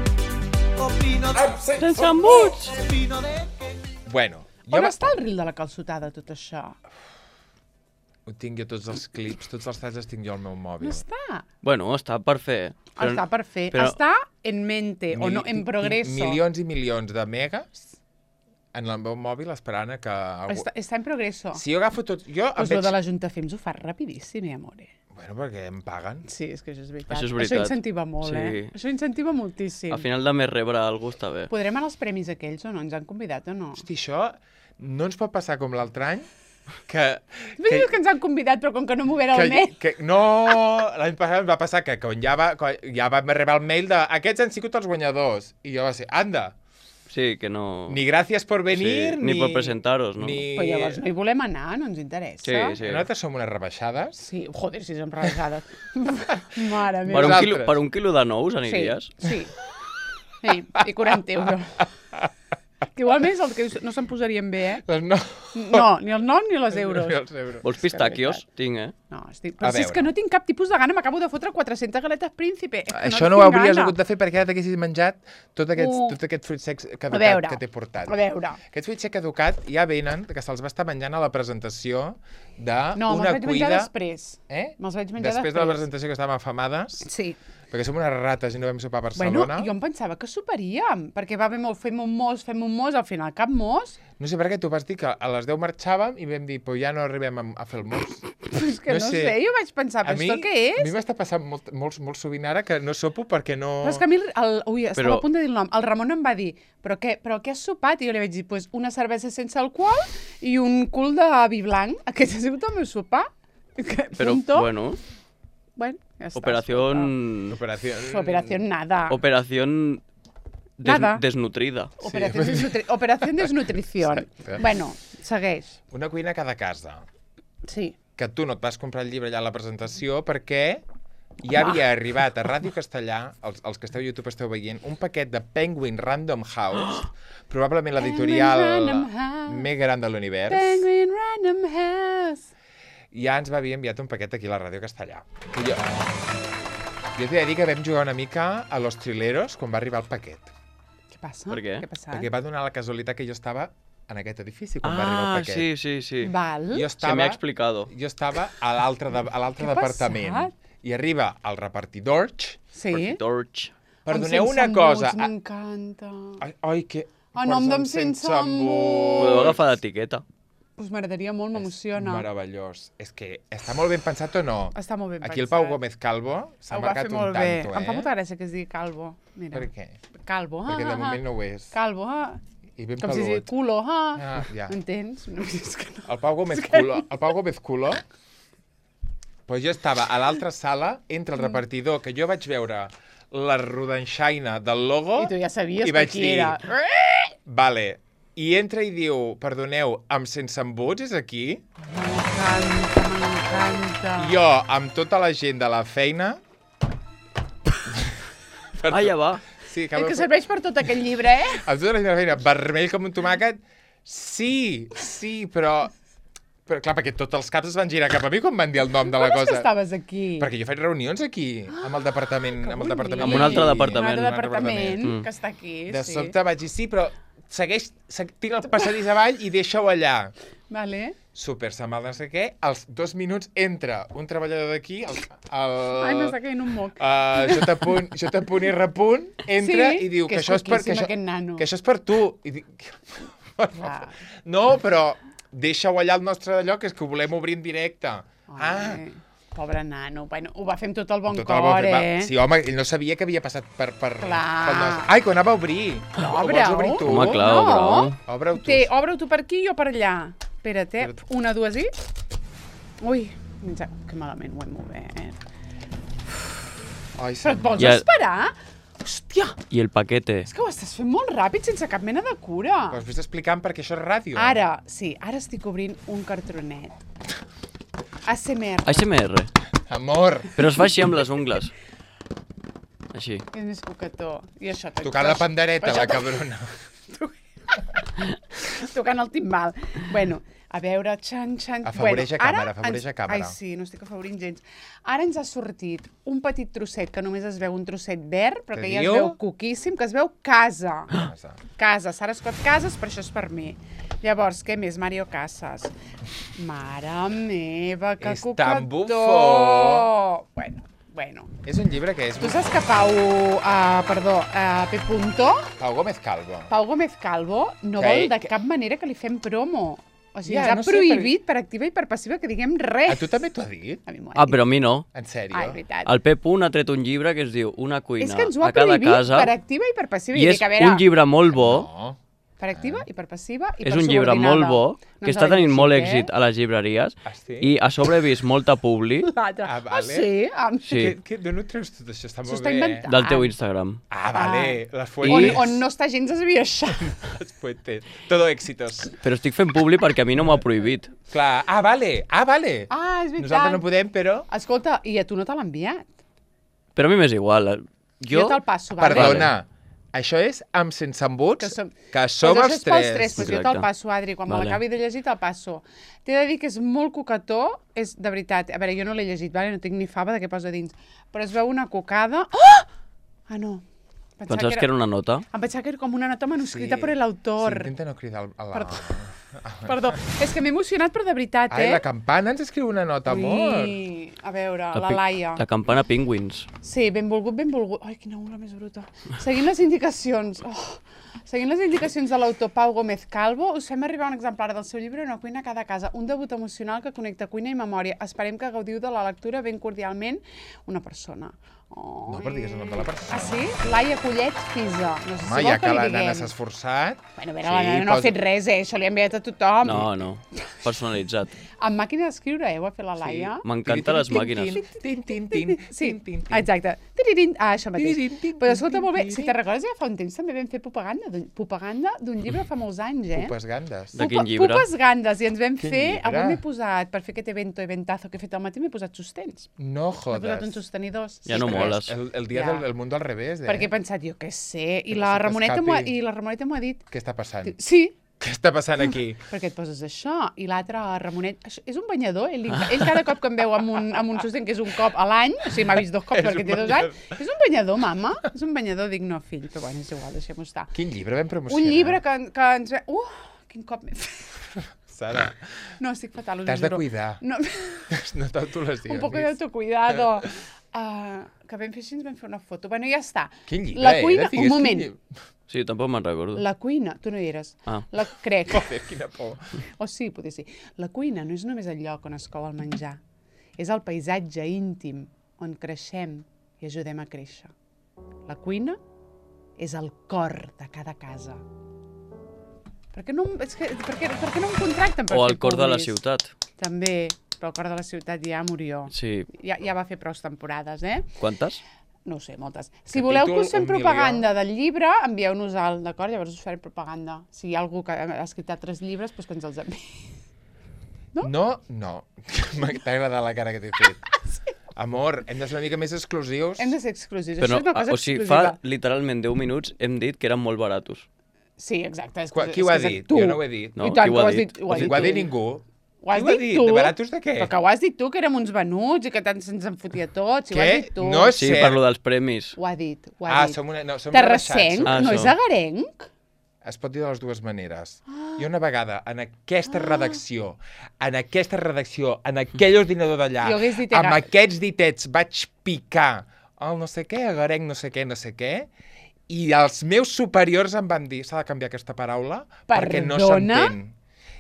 opino de Sense embuts! opino de que. Bueno, On està el ril de la calçotada, tot això? Ho tinc jo tots els clips, tots els talls els tinc jo al meu mòbil. No està. Bueno, està per fer. Està per fer. però- Està en mente, o no, en progreso. Milions i milions de megas en el meu mòbil esperant a que... Algú... Està en progreso. Si jo agafo tot... Jo em Pues lo veig... de la Junta Fems ho fa rapidíssim, amore. Bueno, perquè em paguen. Sí, és que això és veritat. Això és veritat. Això incentiva molt, Sí. Això incentiva moltíssim. Al final de més rebre algú està bé. Podrem anar als premis aquells o no? Ens han convidat o no? Hosti, això no ens pot passar com l'altre any, que Dius que ens han convidat, però com que no m'ho veure el mail... no, l'any passat em va passar que quan ja va arribar el mail de aquests han sigut els guanyadors. I jo va ser, anda, Sí, que no... ni gràcies per venir, Sí, ni per presentaros, no? Ni... Però llavors no hi volem anar, no ens interessa. Sí, sí. Nosaltres som unes rebaixades. Sí, joder, si som rebaixades. Mare Per meva. un, Nosaltres. per un quilo de nous aniries? Sí. Sí, i 40 euros. Que igualment és el que no se'n posarien bé, Doncs no. No, ni el nom ni les euros. Ni els euros. Vols pistaquios? Tinc, eh? No, però A si és veure. que no tinc cap tipus de gana, m'acabo de fotre 400 galetes príncipe. És que Això no tinc ho hauries gana. hagut de fer perquè ara t'haguessis menjat tot aquest fruit sec A caducat veure, que t'he portat. a veure. Aquest fruit sec caducat ja venen, que se'ls va estar menjant a la presentació d'una No, me'ls vaig menjar cuida... després. Eh? Me'ls vaig menjar Després de la presentació que estàvem afamades, Sí. perquè som unes rates i no vam sopar a Bueno, Barcelona. jo em pensava que soparíem, perquè va haver molt, fem un mos, al final cap mos. No sé per què tu vas dir que a les 10 marxàvem i vam dir, però ja no arribem a fer el mos. És que no sé, jo vaig pensar, però esto què A mi és? m'està passant molt sovint ara que no sopo perquè no... Però és que a mi, ui, estava Però- a punt de dir el nom, el Ramon em va dir, però què has sopat? I jo li vaig dir, pues, una cervesa sense alcohol i un cul de vi blanc. Aquest ha sigut el meu sopar. Però, Punto. bueno, Bueno, ja està. operación... Operación nada. Operación Nada. desnutrida. Operación desnutrición. Exacte. Bueno, segueix. Una cuina a cada casa. Sí. Que tu no et vas comprar el llibre allà a la presentació perquè ja havia arribat a Ràdio Castellà, els que esteu a YouTube esteu veient, un paquet de Penguin Random House, probablement l'editorial Penguin Random House. més gran de l'univers. Penguin Random House. Ja ens va haver enviat un paquet aquí a la Ràdio Castellà. I jo t'he de dir que vam jugar una mica a Los Trileros quan va arribar el paquet. Què passa? Per què? Què ha passat? Perquè va donar la casualitat que jo estava en aquest edifici quan va arribar el Ah, paquet. sí, sí, sí. Val. Jo Se m'ha explicado. Jo estava a l'altre Què ha departament. passat? I arriba el repartidor. Sí? Torch. Perdoneu Amb una sense cosa. embuts, M'encanta. Ai, que... A nom d'en sense embut. Podeu agafar l'etiqueta. Pues m'agradaria molt, m'emociona. Meravellós. És que està molt ben pensat o no? Està molt ben Aquí el pensat. Pau Gómez Calvo s'ha Ho va marcat fer un molt bé. tanto, Em fa molta gràcia que es digui Calvo. Mira. Per què? Calvo. Perquè de moment no ho és. Calvo. I ben Com si pelut. digui culo. Ah, ja. M'entens? No, és que no. El Pau Gómez Culo, pues jo estava a l'altra sala, entre el repartidor, que jo vaig veure la rodanxaina del logo... I tu ja sabies i que vaig qui dir, era. Vale. I entra i diu, perdoneu, amb sense embuts és aquí? M'encanta, m'encanta. Jo, amb tota la gent de la feina... Ah, ja va. Sí, És que serveix per tot aquell llibre, eh? Amb tota la gent de la feina, vermell com un tomàquet... Sí, però... Però clar, perquè tots els caps es van girar cap a mi quan van dir el nom de la Com és que cosa. estaves aquí? Perquè jo faig reunions aquí, amb el departament... Que amb el departament. Amb un altre departament. Un altre departament Mm. que està aquí, De sí. sobte vaig dir, sí, però tira el passadís avall i deixa-ho allà. Vale. Super, se'n va no sé què. Als 2 minuts entra un treballador d'aquí, Ai, m'està caient un moc. J.R. entra Sí, i diu que que és això és per... coquíssim, aquest nano. Que això és per tu. I dic, Clar. no, però deixa-ho allà al nostre allò, que és que ho volem obrir en directe. Ai, pobre nano. Bueno, ho va fer amb tot el bon Tot el cor, bon fet, va. eh? Sí, home, ell no sabia que havia passat per pel Clar. Ai, que ho anava a obrir. Però Ho vols obre-ho. obrir tu? Home, clar, No. obre-ho. Obre-ho tu. Obre-ho tu per aquí i jo per allà. Espera't, eh? Una, dues i... Ui, que malament ho hem obert. Ai, Però et vols Ja- esperar? Hòstia, I el paquete. és que ho estàs fent molt ràpid, sense cap mena de cura. Però vés explicant perquè això és ràdio. Ara, sí, ara estic obrint un cartronet. ASMR. ASMR. Amor. Però es fa així amb les ungles. Així. És més coquetó. I això... Tocant la pandereta, per això la cabrona. Tocant el timbal. Bueno, a veure, xan. Afavoreix a càmera, ara afavoreix a càmera. Ai, sí, no estic afavorint gens. Ara ens ha sortit un petit trosset, que només es veu un trosset verd, però que ja es diu? veu coquíssim, que es veu casa. Casa, Sara Scott Casas, però això és per mi. Llavors, què més? Mario Casas. Mare meva, que És coquetó! tan bufó! Bueno. És un llibre que és... Tu saps que P. Pau Gómez Calvo. Pau Gómez Calvo no Que vol ell- de cap manera que li fem promo. O sigui, Ja, ens ha no sé, prohibit per activa i per passiva que diguem A res. tu també t'ho ha dit? A mi m'ho ha Ah, dit. però a mi no. En sèrio? Ai, veritat. El Pep Un ha tret un llibre que es diu Una cuina És que ens ho ha a cada prohibit casa per activa i per passiva. i és dic, a veure, un llibre molt bo. No. Per activa i per passiva i És per un llibre subordinada. molt bo, que ens està l'ha tenint molt llegit, èxit a les llibreries Ah, sí? i a sobre he vist molta publi L'altre. Ah, Ah, vale. sí? Sí. D'on ho treus tot això? Està Això molt està bé. inventat. del teu Instagram. Ah, vale. Les On, fuentes. on no està gens esbiaixat. Les fuentes. Todo éxitos. Però estic fent publi perquè a mi no m'ho ha prohibit. Clar. Ah, vale. Ah, vale. Ah, és veritat. Nosaltres no podem, però... Escolta, i a tu no te l'ha enviat? Però a mi m'és igual. Jo te'l passo, vale? Perdona. Això és amb sense embuts, Que som- que som Pues això els és pels tres, tres. pues jo Exacte. te'l passo, Adri. Quan me Vale. l'acabi de llegir, te'l passo. T'he de dir que és molt coquetó, és de veritat. A veure, jo no l'he llegit, vale? No tinc ni fava de què posa dins. Però es veu una cocada... Oh! Ah, no. Pensaves que era una nota? Em pensava que era com una nota manuscrita per l'autor. Sí, intenta no cridar a la... Perdó. Perdó. És que m'he emocionat, però de veritat, Ai, eh? la campana ens escriu una nota, amor. Ui, a veure, la pi- Laia. La campana Penguins. Sí, benvolgut, benvolgut. Ai, quina ungla més bruta. Seguint les indicacions... Seguint les indicacions de l'autor Pau Gómez Calvo, us fem arribar un exemplar del seu llibre Una cuina a cada casa, un debut emocional que connecta cuina i memòria. Esperem que gaudiu de la lectura ben cordialment una persona. Oh, No, però digues el nom de la persona. Ah, sí? Laia Collet Fisa. No sé si Home, vol ja que li la diguem. nana s'ha esforçat... Bueno, a veure, la nana no ha fet res, això li ha enviat a tothom. No, no. Personalitzat. Amb màquina d'escriure, ho ha fet la Laia. M'encanten les màquines. Tin, tin, tin, Sí, tin, tin, tin. exacte. Tiririn. Ah, això mateix. Tiririn, tin, Però escolta, tin, molt bé, tin, si te'n recordes, ja fa un temps també vam fer propaganda d'un llibre fa molts anys, eh? Pupes gandes. De quin llibre? Pupes gandes, i ens vam Quin fer... llibre? Avui m'he posat, per fer aquest eventazo que he fet al matí, m'he posat sostens. No M'he posat uns jodes. sostenidors. Ja no perquè- moles. El dia Ja. del mundo al revés, eh? Perquè he pensat, jo què sé, i Que la no se Ramoneta t'escapi. m'ho ha dit. Què està passant? Sí, Què està passant aquí? perquè et poses això, i l'altre, Ramonet, això, és un banyador, ell cada cop que em veu amb un sostén, que és un cop a l'any, o sigui, m'ha vist 2 cops És perquè un té 2 banyador. anys, és un banyador, mama, és un banyador, dic no, fill, però bueno, és igual, deixem-ho estar. Quin llibre vam promocionar? Un llibre que ens... Quin cop m'he fet. Sara, No, estic fatal, ho t'has de juro. cuidar. No, No t'autolesionis. un poco de autocuidado. Que vam fer així, ens vam fer una foto. Bueno, ja està. Quin llibre, La cuina, Digues, un moment. quin llibre. Sí, tampoc me'n recordo. La cuina, tu no hi eres. Ah. Crec. Joder, quina por. O sí, potser sí. La cuina no és només el lloc on es cou el menjar. És el paisatge íntim on creixem i ajudem a créixer. La cuina és el cor de cada casa. Per què no, per què no em contracten per O fer al cor de la publis? ciutat. També, però el cor de la ciutat ja murió. Sí. Ja va fer prou temporades, eh? Quantes? No ho sé, moltes. Si voleu que us fem 1 milió. propaganda del llibre, envieu-nos al, d'acord? Llavors us farem propaganda. Si hi ha algú que ha escrit altres llibres, doncs que ens els enviï. No? T'ha agradat la cara que t'he fet. Amor, hem de ser una mica més exclusius. Hem de ser exclusius. Però Això és una cosa o sigui, exclusiva. fa literalment 10 minuts hem dit que eren molt baratos. Sí, exacte. Qui ho ha dit? Tu. Jo no ho he dit. No, I tant, qui ho que ha ho has dit? dit. Ho has Ho dit ha dit tu. ningú. Ho has Qui ho ha dit dit? tu. De baratos de què? Però que ho has dit tu, que érem uns venuts i que tant se'ns en fotia tots. I ho has Què? dit tu. No és Sí, cert. parlo dels premis. Ho ha dit, ho ha Ah, dit. som una... No, som Terrassenc? Ah, No això. és agarenc? Es pot dir de les dues maneres. Jo una vegada, en aquesta redacció, en aquell ordinador d'allà, Jo hagués dit amb Ega- aquests ditets vaig picar el no sé què, agarenc, no sé què, i els meus superiors em van dir s'ha de canviar aquesta paraula perquè no Perdona? s'entén.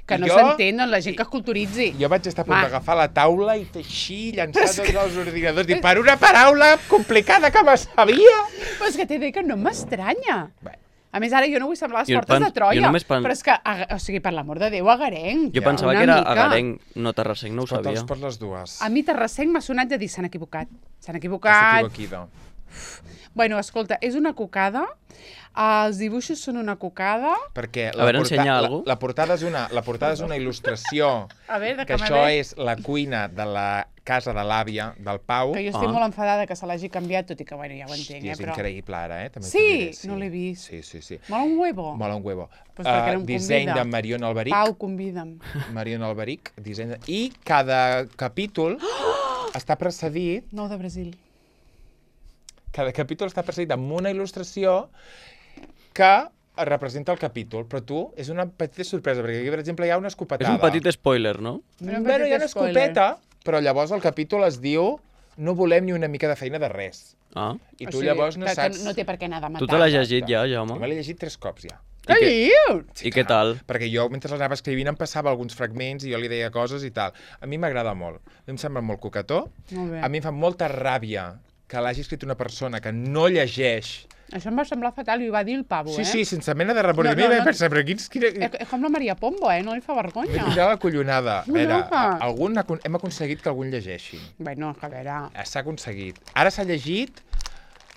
Que I no jo- s'entén, doncs la gent que es culturitzi. Jo vaig estar a punt Va. d'agafar la taula i teixir, llançar tots els ordinadors, dir, per una paraula complicada que me sabia. Però és que t'he dit que no m'estranya. Bé. A més, ara jo no vull semblar les Jo portes de jo Troia, només però és que, o sigui, per l'amor de Déu, agarenc. Jo Ja. pensava Una que era mica. agarenc, no terrassenc, no ho Pot sabia. les dues. A mi Terrassenc m'ha sonat de dir s'han equivocat. S'han Estàs equivocat. equivocada. Bueno, escolta, és una cocada. Els dibuixos són una cocada. Perquè A veure, ensenya algú. la portada és una il·lustració, A veure, que que això m'ha és la cuina de la casa de l'àvia, del Pau. Que jo estic molt enfadada que se l'hagi canviat, tot i que, bueno, ja ho entenc, Hòstia, és però... increïble ara, També Sí? t'ho diré, No l'he vist. Sí. Mola un huevo. Mola un huevo. Pues perquè no em Disseny convida. de Marion Alberic. Pau, convida'm. Marion Alberic. I cada capítol està precedit, 9 de Brasil. cada capítol està precedit amb una il·lustració que representa el capítol, però tu, és una petita sorpresa, perquè aquí, per exemple, hi ha una És escopetada. un petit spoiler, no? Però un Bueno, petit hi ha una spoiler. escopeta, però llavors el capítol es diu no volem ni una mica de feina de res. Ah. I O tu sigui, llavors no que saps... no té per què anar de matar. Tu te l'has llegit ja, Jo Jaume? me l'he llegit 3 cops ja. Què dius? I què tal? Perquè jo, mentre l'anava escrivint, em passava alguns fragments i jo li deia coses i tal. A mi m'agrada molt. A mi em sembla molt coquetó. Molt bé. A mi em fa molta ràbia que l'hagi escrit una persona que no llegeix. Això em va semblar fatal i ho va dir el pavo, Sí, eh? sí, sense mena de remordiment. No. Vaig pensar, però quina... És com la Maria Pombo, eh? No li fa M'he vergonya. posat la collonada. A veure, Loca. hem aconseguit que algun llegeixi. Bueno, a veure... S'ha aconseguit. Ara s'ha llegit...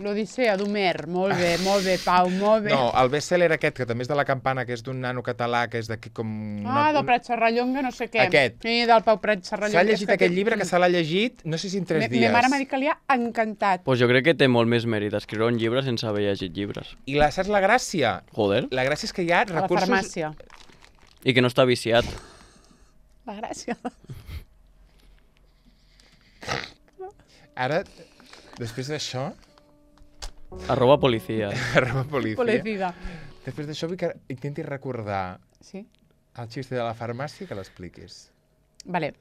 L'Odissea d'Homer. Molt bé, Pau, molt bé. No, el best-seller aquest, que també és de La Campana, que és d'un nano català, que és d'aquí com... Del Prat Serrallonga, no sé què. Aquest. Sí, del Pau Prat Serrallonga. S'ha llegit aquest llibre, que se l'ha llegit, no sé si en 3 dies. Ma mare m'ha dit que li ha encantat. Pues jo crec que té molt més mèrit escriure un llibre sense haver llegit llibres. I saps la gràcia? Joder. La gràcia és que hi ha A la recursos... farmàcia. I que no està viciat. La gràcia. Ara, després d'això... @policia. Arroba policia. Policida. Després d'això vull que intentis recordar Sí? el xiste de la farmàcia que l'expliquis. Vale.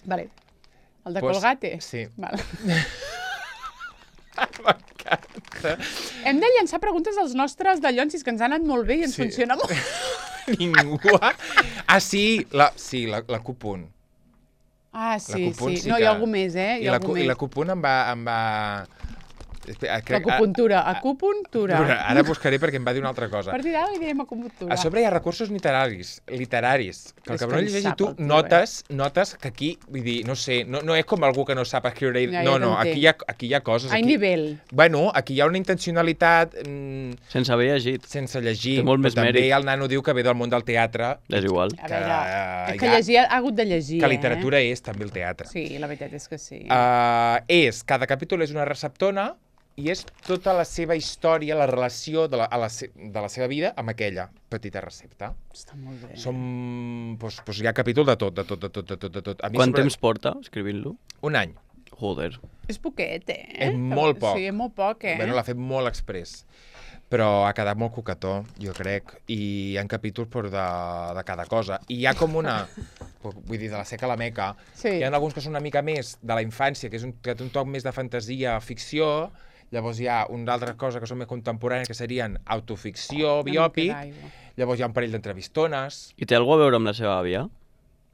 Vale. El de Pues, Colgate? sí. Vale. M'encanta. Hem de llançar preguntes als nostres dallonsis, que ens han anat molt bé i ens Sí. funciona molt. Ningú ha... sí, la Cupunt. Ah, La sí, Cupunt sí. No, hi ha algú més, eh? Hi ha algú I més. la Cupunt em va... Acupuntura. Acupuntura. Ara buscaré perquè em va dir una altra cosa. A partir d'ara li direm acupuntura. A sobre hi ha recursos literaris, que el És que que no en llegeix i sap tu el tio, notes que aquí, vull dir, no sé, no és com algú que no sap escriure. Ja, No, ja aquí hi ha coses. Hay Aquí, nivell. bueno, aquí hi ha una intencionalitat Sense haver llegit. sense llegir. Té molt però més també mèrit. el nano diu que ve del món del teatre. És igual. A veure, és que ja- llegir, ha hagut de llegir, Que literatura és també el teatre. Sí, la veritat és que sí. Cada capítol és una receptona i és tota la seva història, la relació de la seva vida amb aquella petita recepta. Està molt bé. Doncs hi ha capítol de tot. A mi Quant temps porta escrivint-lo? Un any. Joder. És poquet, eh? És molt poc. Sí, és molt poc, eh? Bueno, l'ha fet molt express. Però ha quedat molt coquetó, jo crec. I hi ha capítols de cada cosa. I hi ha com una... Vull dir, de la seca a la meca. Sí. Hi ha alguns que són una mica més de la infància, que té un toc més de fantasia, ficció. Llavors hi ha una altra cosa que són més contemporànies, que serien autoficció, Una mica biòpic. d'aigua. Llavors hi ha un parell d'entrevistones. I té alguna a veure amb la seva àvia?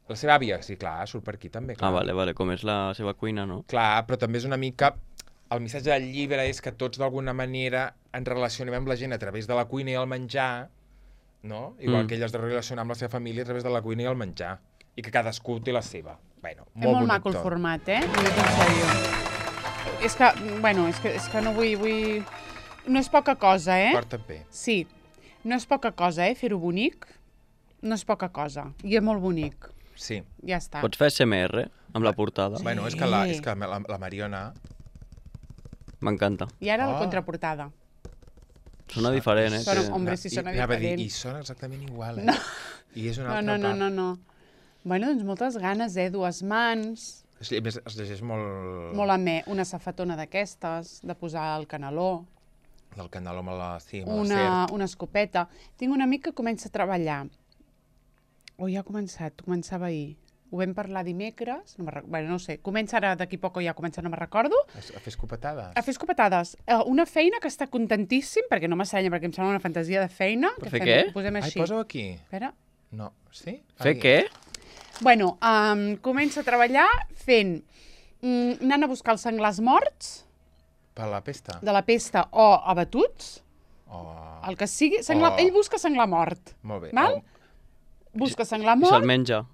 La seva àvia, sí, clar, surt per aquí també. Clar. Ah, vale, com és la seva cuina, no? Clar, però també és una mica... El missatge del llibre és que tots d'alguna manera ens relacionem amb la gent a través de la cuina i el menjar, no? Igual que ell es relaciona amb la seva família a través de la cuina i el menjar. I que cadascú té la seva. Bueno, És molt maco el tot. format, eh? Ho dic en sèrio. És que, bueno, és que no vull... No és poca cosa, eh? Porta't bé. Sí, no és poca cosa, eh? Fer-ho bonic no és poca cosa. I és molt bonic. Sí. Ja està. Pots fer SMR amb la portada? Bueno, és que la Mariona... M'encanta. I ara la Oh. contraportada. Sona diferent, eh? Sona- que- Hombre, sí, sona Anava a dir, diferent. I sona exactament igual, eh? No. I és una No, altra no, part. no. Bueno, doncs moltes ganes, eh? Dues mans, A més, es llegeix molt... molt amè. Una safatona d'aquestes, de posar el caneló, Del canal amb la... Sí, amb la serp. una escopeta. Tinc un amic que comença a treballar. Ja ha començat, començava ahir. Ho vam parlar dimecres, bueno, no sé, comença ara d'aquí poc o ja comença, no me'n recordo, A fer escopetades. a fer escopetades. Una feina que està contentíssim, perquè no m'assenya, perquè em sembla una fantasia de feina. Per que fer què? Posem Ai, així. posa-ho aquí. Espera. No, sí? Fer Ai. què? Bueno, comença a treballar fent, anant a buscar els senglars morts Per la pesta? de la pesta o abatuts, Oh, el que sigui, senglar, Oh. ell busca senglar mort. molt bé. Val? Busca senglar I se'l mort, menja.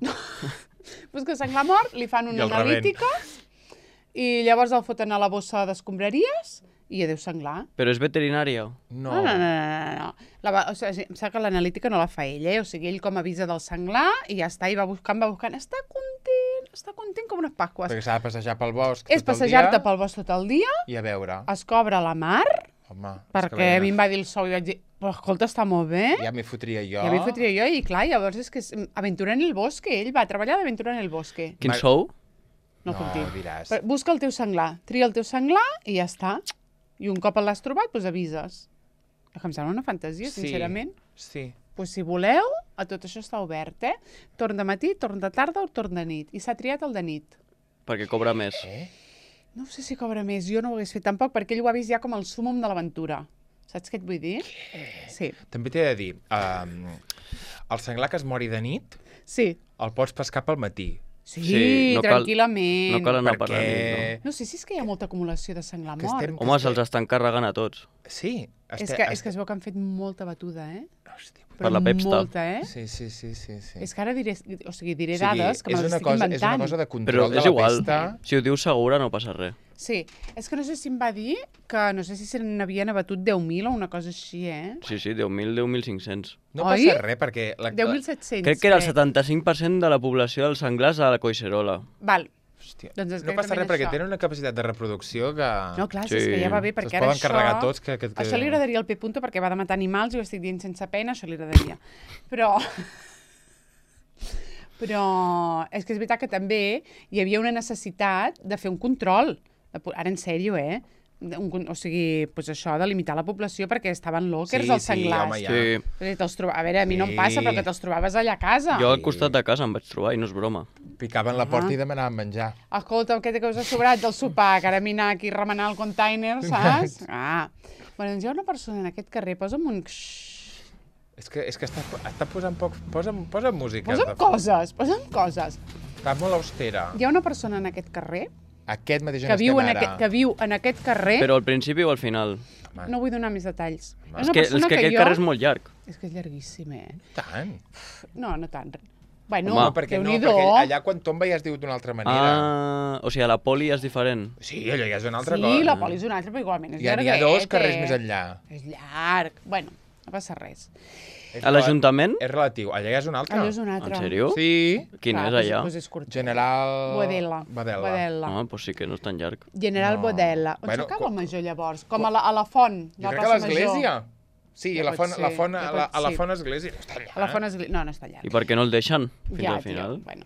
busca senglar mort, li fan I una el revén. analítica i llavors el foten a la bossa d'escombraries i adéu senglar. Però és veterinària. No. No. O sigui, em sembla que l'analítica no la fa ell, eh? O sigui, ell com avisa del senglar i ja està, i va buscant. Està content com unes pasques. Perquè s'ha de passejar pel bosc És tot el passejar-te dia pel bosc tot el dia, i a veure. es cobra la mar, Home, és que perquè a mi em va dir el sou i vaig dir, però escolta, està molt bé. ja m'hi fotria jo. Ja m'hi fotria jo, i clar, llavors és que és aventura en el bosque, ell va treballar d'aventura en el bosque. Quin Ma- sou? No, No, puc dir. diràs. Però busca el teu senglar, tria el teu senglar i ja està. I un cop l'has trobat, doncs avises. Que em sembla una fantasia, sincerament. Sí. Pues si voleu, a tot això està obert, eh? Torn de matí, torn de tarda o torn de nit. I s'ha triat el de nit. Perquè cobra més. Eh? No sé si cobra més, jo no ho hagués fet tampoc, perquè ell ho ha vist ja com el súmum de l'aventura. Saps què et vull dir? Sí. També t'he de dir, el senglar que es mori de nit, Sí. el pots pescar pel matí. Sí, Sí, no cal- tranquil·lament. No cal anar per la Perquè... nit, No sé si és que hi ha molta acumulació de senglar Que mort. estem- no? Home, se'ls estan carregant a tots. Sí. És que es veu que han fet molta batuda, eh? Hòstia. Per la Pepsta. Molta, eh? Sí. És que ara diré, diré O sigui, dades que me les estic és una inventant. cosa de Però control de és la igual. pesta. Si ho dius segura no passa res. Sí, és que no sé si em va dir que no sé si se n'havien abatut 10.000 o una cosa així, eh? Sí, 10.000, 10.500. No Oi? passa res, perquè... 10.700. Crec que era el 75% de la població dels senglars a la Collserola. Val. Hòstia. Doncs es No queda passa també res perquè això. tenen una capacitat de reproducció que... No, clar, Sí. és que ja va bé, perquè Se'ls ara poden això... carregar tots. Que... Això li agradaria al P. perquè va de matar animals i ho estic dient sense pena, això li agradaria. Però... Però és que és veritat que també hi havia una necessitat de fer un control. Ara, en sèrio, o sigui, pues això, de limitar la població perquè estaven lockers els senglars. home, ja. Sí. A veure, a mi no em passa, però que te'ls trobaves allà a casa. Jo al costat de casa em vaig trobar i no és broma. Picaven la porta i demanaven menjar. Escolta, què us ha sobrat del sopar? Que ara m'hi aquí a remenar el container, saps? Bueno, doncs hi ha una persona en aquest carrer, posa'm un... És que està posant poc... Posa música. Posa'm coses. Està molt austera. Hi ha una persona en aquest carrer Aquest mateix on que viu, estem ara. que viu en aquest carrer... Però al principi o al final? Home, No vull donar més detalls. És que aquest carrer és molt llarg. És que és llarguíssim, eh? tant. No tant. Bueno, Home, perquè Déu-n'hi-do. allà quan tomba ja es diu d'una altra manera. O sigui, a la poli és diferent. Sí, allò ja és una altra Sí, cosa. la poli és una altra, però igualment és N'hi ha llarguet. dos carrers més enllà. És llarg. Bueno, no passa res. A l'Ajuntament? És relatiu. Allà ja és una altra. Allò és un altre. En sèrio? Sí. Quin Clar, és allà? Doncs és curtet. General... Bodella. Badela. Ah, doncs sí que no és tan llarg. General No. Bodella. On Bueno, s'acaba el major, llavors? Com a la font, Jo la crec que a plaça l'església. Major. Sí, Ja a la pot font, ser, la font, ja a la pot ser. font església. No està allà. A la font església... No està llarg. I per què no el deixen fins Ja, al final? Tio, bueno,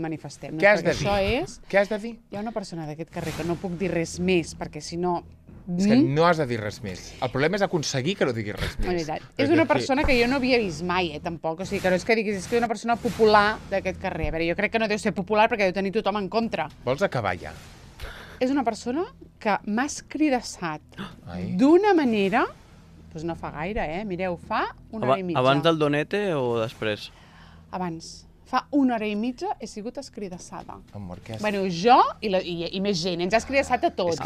manifestem-nos. Què has de perquè dir? Això és... Què has de dir? Hi ha una persona d'aquest carrer que no puc dir res més, perquè si no... És que no has de dir res més. El problema és aconseguir que no diguis res més. Veritat. Perquè És una aquí- persona que jo no havia vist mai, tampoc. O sigui, que no és que diguis, és que és una persona popular d'aquest carrer. A veure, jo crec que no deu ser popular perquè deu tenir tothom en contra. Vols acabar ja? És una persona que m'ha escridassat Ai. d'una manera... Doncs no fa gaire, Mireu, fa una hora i mitja. Abans del Donete o després? Abans. Fa una hora i mitja he sigut escridassada. Amor, què has... Bueno, jo i més gent. Ens ha escridassat a tots,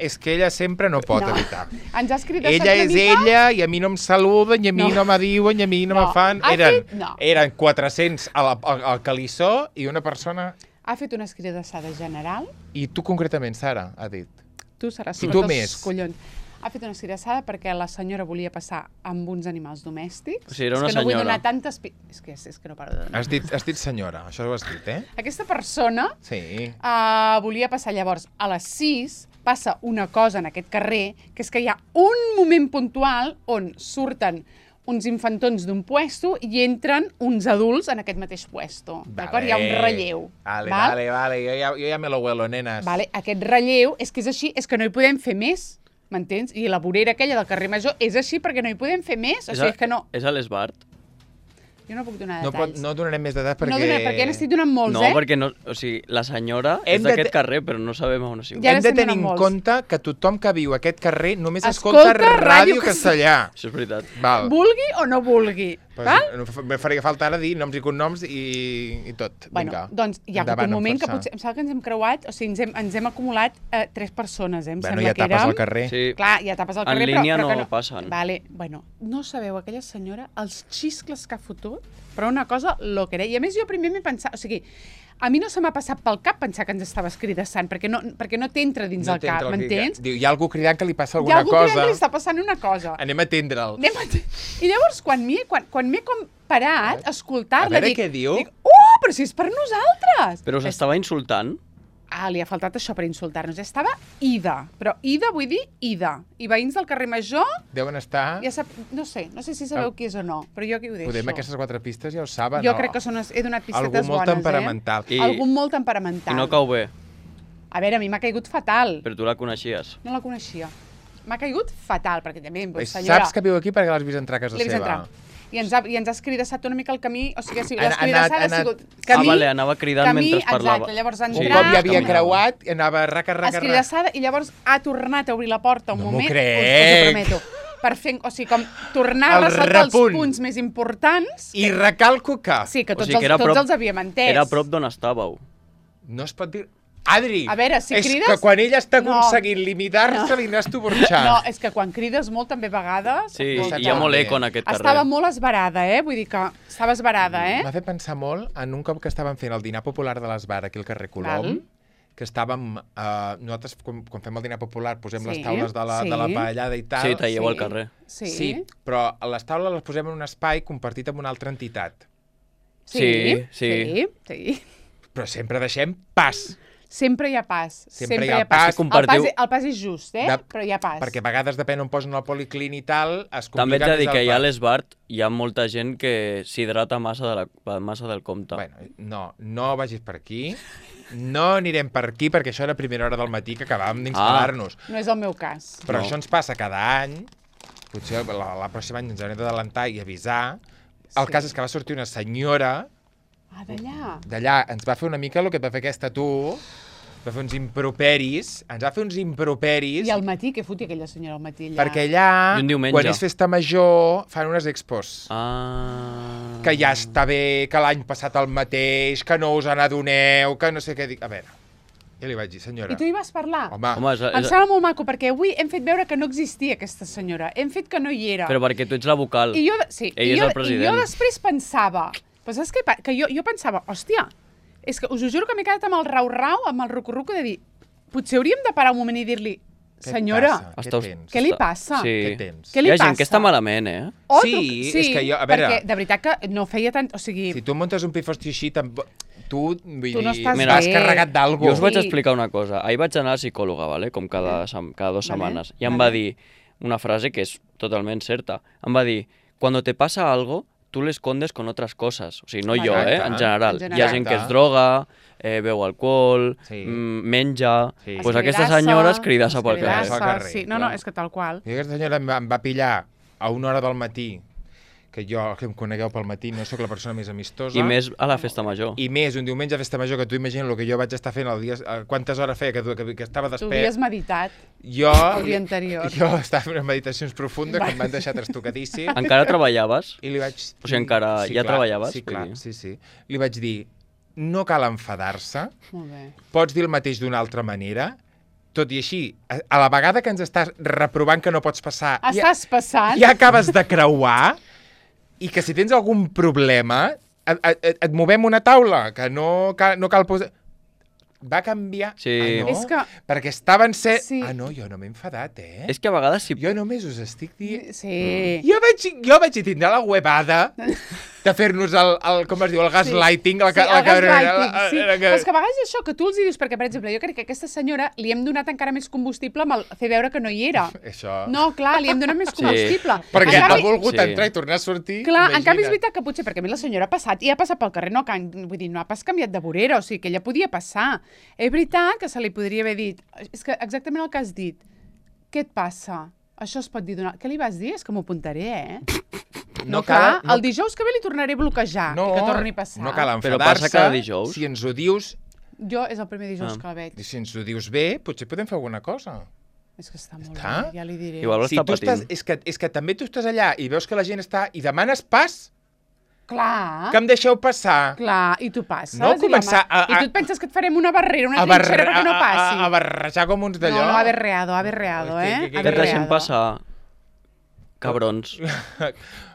és que ella sempre no pot evitar. Ens ha escridassat Ella una és mica... ella i a mi no em saluden, i a mi no me diuen, i a mi no me fan... Ha Eren, fet- no. eren 400 al calissó i una persona... Ha fet una escridassada general. I tu concretament, Sara, ha dit. Tu seràs I sota tu els més. collons. Ha fet una escridassada perquè la senyora volia passar amb uns animals domèstics. O sigui, era una és que no vull senyora. donar tantes... És que no paro de donar. Has dit senyora, això ho has dit, eh? Aquesta persona Sí. volia passar llavors a les 6, passa una cosa en aquest carrer, que és que hi ha un moment puntual on surten uns infantons d'un puesto i entren uns adults en aquest mateix puesto. D'acord? Hi ha un relleu. Vale. Jo ja me lo huelo, nenes. Vale, aquest relleu és que és així, és que no hi podem fer més, m'entens? I la vorera aquella del carrer Major és així perquè no hi podem fer més, o sigui, és que no... És a l'Esbart? Jo no puc donar No, detalls. no donarem més detalls perquè... No donaré, perquè n'estic donant molts, No, eh? perquè no, o sigui, la senyora Hem és de d'aquest te- carrer, però no sabem on ha sigut. Ja Hem de n'estem tenir en donant molts. compte que tothom que viu a aquest carrer només Escolta escolta Ràdio Ràdio Castellà. Això és veritat. Val. Vulgui o no vulgui, Pues, val? me faria falta ara dir noms i cognoms i tot. Bueno, Vinga. doncs hi ha hagut Endavant, un moment amb que força. potser, em sembla que ens hem creuat, o sigui, ens hem acumulat 3 persones, em Bueno, sembla ja que tapes érem... al carrer. Sí. Clar, ja tapes al En carrer, línia però que no passen. Vale, bueno, no sabeu aquella senyora, els xiscles que ha fotut, però una cosa loquera. I a més jo primer m'he pensat, o sigui, a mi no se m'ha passat pel cap pensar que ens estava escridassant, perquè no t'entra dins el cap, m'entens? Diu, hi ha algú cridant que li passa Hi ha alguna algú que cosa. li està passant una cosa. Anem a atendre'l. I llavors, quan m'he com parat a escoltar-la, A veure dic, què diu. dic, però si és per nosaltres! Però us estava insultant? Li ha faltat això per insultar-nos. Estava ida, però ida vull dir ida. I veïns del carrer Major, Deuen estar... ja sap, no sé si sabeu qui és o no, però jo aquí ho deixo. Podem aquestes 4 pistes ja ho saben. Jo no? crec que he donat pistetes Algú molt bones, temperamental. I- Algú molt temperamental. I no cau bé, A veure, a mi m'ha caigut fatal. però tu la coneixies. No la coneixia. M'ha caigut fatal, perquè també, senyora... Saps que viu aquí perquè l'has vist entrar a casa L'he vist seva. entrar. I ens ha escridassat una mica el camí, o sigui, Ha l'escridassada ha sigut vale, anava cridant mentre parlava. Exacte, llavors ha Un entrat... cop ja havia caminava. creuat i anava raca. escridassada, i llavors ha tornat a obrir la porta un No m'ho moment... crec. Us ho prometo. per fer, o sigui, com tornar a El ressaltar els repunt. punts més importants. I recalco que Sí, que O tots, sigui que era tots prop- els havíem entès. Era a prop d'on estàveu. no es pot dir... Adri, A veure, si és crides- que quan ella està No. aconseguint limitar-se, li n'has tu burxant. No, és que quan crides molt també a vegades... Sí, Saps hi ha molt què? eco en aquest carrer. Estava molt esbarada, Vull dir que estava esbarada, M'ha fet pensar molt en un cop que estàvem fent el dinar popular de l'Esbar aquí al carrer Colom, Val. que estàvem... nosaltres, quan fem el dinar popular, posem Sí, les taules de la sí. paellada i tal. Sí, talleu al Sí. carrer. Sí. però les taules les posem en un espai compartit amb una altra entitat. Sí. Sí. Però sempre deixem pas. Sempre hi ha pas. Sempre hi ha pas. Compartiu- El pas és just, però hi ha pas. Perquè a vegades, depèn on posen el policlín i tal, es També complica ets a dir més que el hi ha a pas. l'Esbart hi ha molta gent que s'hidrata massa del compte. Bueno, no vagis per aquí. No anirem per aquí, perquè això era a primera hora del matí que acabàvem d'instal·lar-nos. No és el meu cas. Però No. això ens passa cada any. Potser la pròxima any ens haurem d'adelantar i avisar. El cas és que va sortir una senyora Ah, d'allà. d'allà, ens va fer una mica el que et va fer aquesta tu, va fer uns improperis, I al matí, què fotia aquella senyora al matí allà? perquè allà, I un diumenge. quan és festa major, fan unes expos. Ah... Que ja està bé, que l'any passat el mateix, que no us n'adoneu, que no sé què dic. A veure, jo li vaig dir, senyora... I tu hi vas parlar? Home, Home, Em sembla molt maco, perquè avui hem fet veure que no existia aquesta senyora. Hem fet que no hi era. Però perquè tu ets la vocal. I jo, sí, Ell i és jo, el president. I jo després pensava... Però saps què? Que jo pensava, hòstia, és que us ho juro que m'he quedat amb el rau-rau, amb el rucu-rucu de dir, potser hauríem de parar un moment i dir-li, què et senyora, passa? Què Estàs- tens? què li passa? Sí. Què tens? Què li Hi ha gent passa? que està malament, O Sí, és que jo- a veure- Perquè, de veritat que no feia tant... O sigui, Si tu muntes un pifosti així, tu, vull Tu no dir, estàs Mira, vas bé. carregat d'algú. Jo us vaig Sí. explicar una cosa. Ahir vaig anar a la psicòloga, ¿vale? Com cada 2 setmanes. I em va dir una frase que és totalment certa. Em va dir, cuando te pasa algo, tú lo escondes con otras cosas. O sigui, no jo, Exacte. en general. En general. Hi ha gent que es droga, beu alcohol, Sí. menja... Sí. Pues aquesta senyora es cridassa pel carrer. Escridassa. al carrer, Sí, no, clar. és que tal qual. I aquesta senyora em va pillar a 1 hora del matí, que jo, que em conegueu pel matí, no sóc la persona més amistosa. I més a la festa major. I més, un diumenge a festa major, que tu imagina el que jo vaig estar fent el dia... Quantes hores feia que estava Tu despert. havies meditat Jo, el dia anterior. Jo estava fent unes meditacions profundes que em van deixar trastocadíssim. Encara treballaves? I li vaig... O sigui, encara ja clar, treballaves, Sí, vull clar, dir. sí. Li vaig dir, no cal enfadar-se, Molt bé. pots dir el mateix d'una altra manera, tot i així, a la vegada que ens estàs reprovant que no pots passar, Estàs passant? ja acabes de creuar, i que si tens algun problema, et movem una taula, que no cal posar... Va canviar... Sí. Ah, no? És que- Perquè estaven ser... Sí. Ah, no, jo no m'he enfadat, eh? És que a vegades si... Jo només us estic dient... Sí. Jo vaig tindre la huevada de fer-nos com es diu, el gaslighting. Sí, el gaslighting, sí. Però és que a vegades és això, que tu els hi dius, perquè, per exemple, jo crec que a aquesta senyora li hem donat encara més combustible amb el fer veure que no hi era. Això... No, clar, li hem donat més Sí. combustible. Perquè En ha canvi- volgut Sí. entrar i tornar a sortir. Clar, en canvi és imagina't. veritat que potser, perquè a mi la senyora ha passat, i ha passat pel carrer, vull dir, no ha pas canviat de vorera, o sigui, que ella podia passar. És veritat que se li podria haver dit, és que exactament el que has dit, què et passa? Això es pot dir d'una... Què li vas dir? És que m'ho apuntaré, No, clar, el dijous que ve li tornaré a bloquejar i que torni a passar. No cal Però enfadar-se. passa cada dijous. Si ens ho dius, Jo és el primer dijous que la veig. si ens ho dius bé, potser podem fer alguna cosa. És que està molt Està? bé, ja li diré. Igual Si està tu estàs, patint. és que també tu estàs allà i veus que la gent està i demanes pas, Clar, que em deixeu passar. clar, i tu passes. No començar I tu et penses que et farem una barrera, una trinxera perquè no passi. A barrejar com uns d'allò. No, averreado, Que Que et deixem passar, cabrons.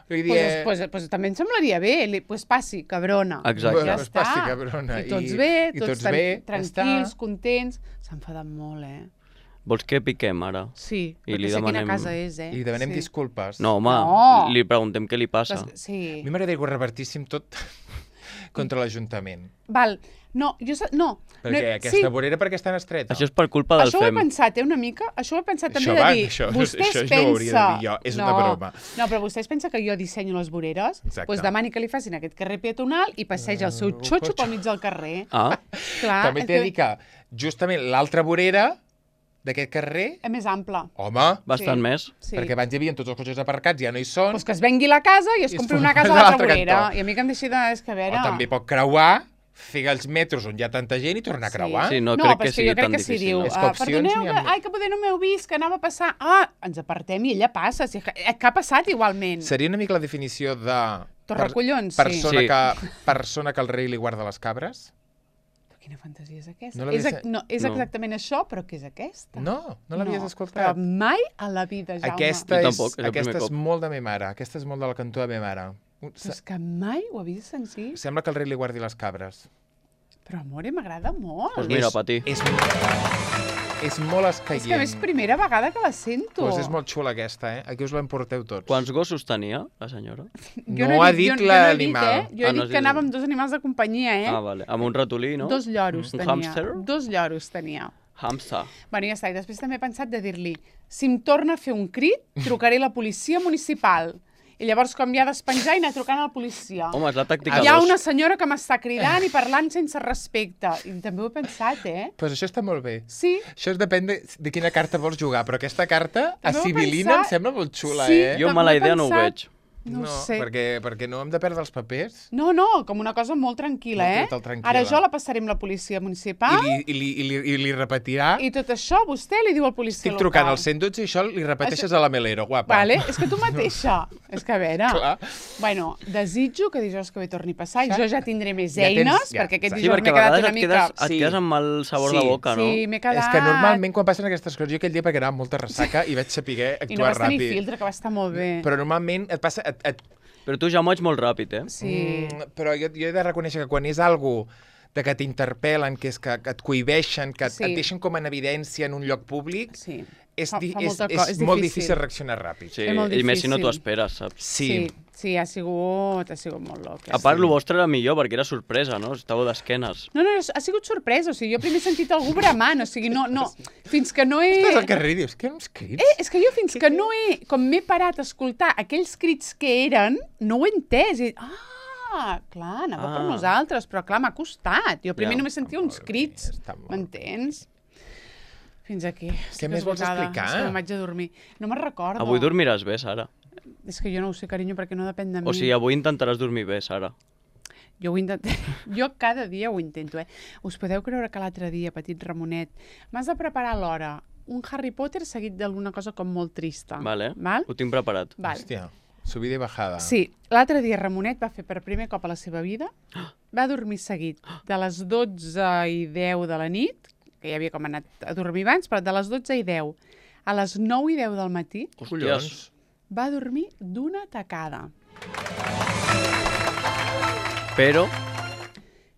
Vull dir, Pues també em semblaria bé, pues passi, cabrona. Exacte. Ja Pues està. passi, cabrona. I tots bé, i tots bé, tranquils, ja està. contents. S'ha enfadat molt, Vols que piquem ara? Sí, I perquè li sé quina demanem- casa és, I li demanem sí. disculpes. No, home, No. li preguntem què li passa. Però és que- Sí. A mi m'agradaria que ho revertíssim tot contra l'Ajuntament. Val, no, no. Perquè aquesta vorera perquè estan estreta. Això és per culpa del Això ho he FEM. pensat, una mica. Això ho he pensat també Això de va, dir, això vostès no ho pensa... hauria de dir jo, és una broma. No, però vostès pensa que jo dissenyo les voreres? Exacte. Doncs demani que li facin aquest carrer peatonal i passeja el seu xotxo pel mig del carrer. Ah, Clar, També t'he de dir que justament l'altra vorera d'aquest carrer, és més ample. home, bastant Sí. més. Sí. perquè abans hi havia tots els cotxes aparcats, ja no hi són, Pues que es vengui la casa i es I es compri fa una casa a a l'altra l'altre vorera. cantó. I a mi que em deixi de... És que a veure... o també pot creuar fer els metros on hi ha tanta gent i tornar a creuar. Sí, no no, crec però que és que sigui jo crec tan que si difícil. diu, És que opcions perdoneu, n'hi ha que poder no m'heu vist, que anava a passar. Ens apartem i ella passa. Si, que ha passat igualment. Seria una mica la definició de... Torracollons, sí. Persona que el rei li guarda les cabres? Però quina fantasia és aquesta? No l'havies- És No. exactament això, però què és aquesta? No l'havies Però escoltat. mai a la vida, Jaume. Aquesta Jo és, tampoc, és el aquesta primer és cop. molt de me mare. Aquesta és molt de la cantó de me mare. Però és que mai ho havies sentit. Sembla que el rei li guardi les cabres. Però, amore, m'agrada molt. Pues mira, pa ti. És molt És que a escaient. més, primera vegada que la sento. Pues és molt xula aquesta, eh? Aquí us l'emporteu tots. Quants gossos tenia, la senyora? No ha dit l'animal. Jo he dit que anava amb 2 animals de companyia, Ah, vale. Amb un ratolí, no? 2 lloros Un tenia. hàmster? 2 lloros tenia. Hamster. Bueno, ja està. I després també he pensat de dir-li, si em torna a fer un crit, trucaré a la policia municipal. I llavors, com ja despenjar i anar trucant a la policia. Home, és la tàctica Hi ha 2. una senyora que m'està cridant i parlant sense respecte. I també ho he pensat, Pues això està molt bé. Sí. Això depèn de quina carta vols jugar, però aquesta carta a També ho he Sibil·lina em pensat. sembla molt xula, Sí. eh? Jo També mala he idea no ho pensat. veig. No ho sé. Perquè no hem de perdre els papers. No, com una cosa molt tranquil·la, Molt tranquil·la. Ara jo la passaré amb la policia municipal I li repetirà. i tot això vostè li diu al policia Estic trucant local. al 112 i això li repeteixes a la Melero, guapa. Vale, és que tu mateixa. És que a veure... Clar. Bueno, desitjo que dijous que ve torni a passar i jo ja tindré més Ja tens- eines, ja, perquè aquest exacte. Sí, dijous perquè m'he a quedat vegades una et mica... quedes amb mal sabor de Sí. boca, no? Sí, m'he quedat... És que normalment quan passen aquestes coses, jo aquell dia perquè anava amb molta ressaca i vaig saber I no actuar vas tenir ràpid. filtre, que va estar molt bé. Però normalment et passa... Però tu ja moig molt ràpid, eh? Sí. Però jo he de reconèixer que quan és algo de que t'interpel·len, que és que et cohibeixen, que Sí. et deixen com en evidència en un lloc públic, Sí. és, Fa molta és molt difícil reaccionar ràpid. Sí, És molt i més si no t'ho difícil. esperes, saps? Sí, ha sigut molt loc. A part, el vostre era millor, perquè era sorpresa, no? Estàveu d'esquenes. No, ha sigut sorpresa. O sigui, jo primer he sentit algú bramant. O sigui, no, fins que no he... Estàs al carrer i dius, què uns crits? És que jo fins que no he... Com m'he parat a escoltar aquells crits que eren, no ho he entès. I, clar, anava per nosaltres, però clar, m'ha costat. Jo primer Ja. només sentia uns crits, està molt bé. m'entens? Fins aquí. Què més vols explicar? És que me'n vaig a dormir. No me'n recordo. Avui dormiràs bé, Sara. És que jo no ho sé, carinyo, perquè no depèn de mi. O sigui, avui intentaràs dormir bé, Sara. Jo ho intento... Jo cada dia ho intento, Us podeu creure que l'altre dia, petit Ramonet, m'has de preparar a l'hora un Harry Potter seguit d'alguna cosa com molt trista. Vale. Val? Ho tinc preparat. Val. Hòstia, subida i bajada. Sí, l'altre dia Ramonet va fer per primer cop a la seva vida, va dormir seguit de les 12:10 de la nit, que ja havia com anat a dormir abans, però de les 12:10 a les 9:10 del matí Collons. va dormir d'una tacada. Però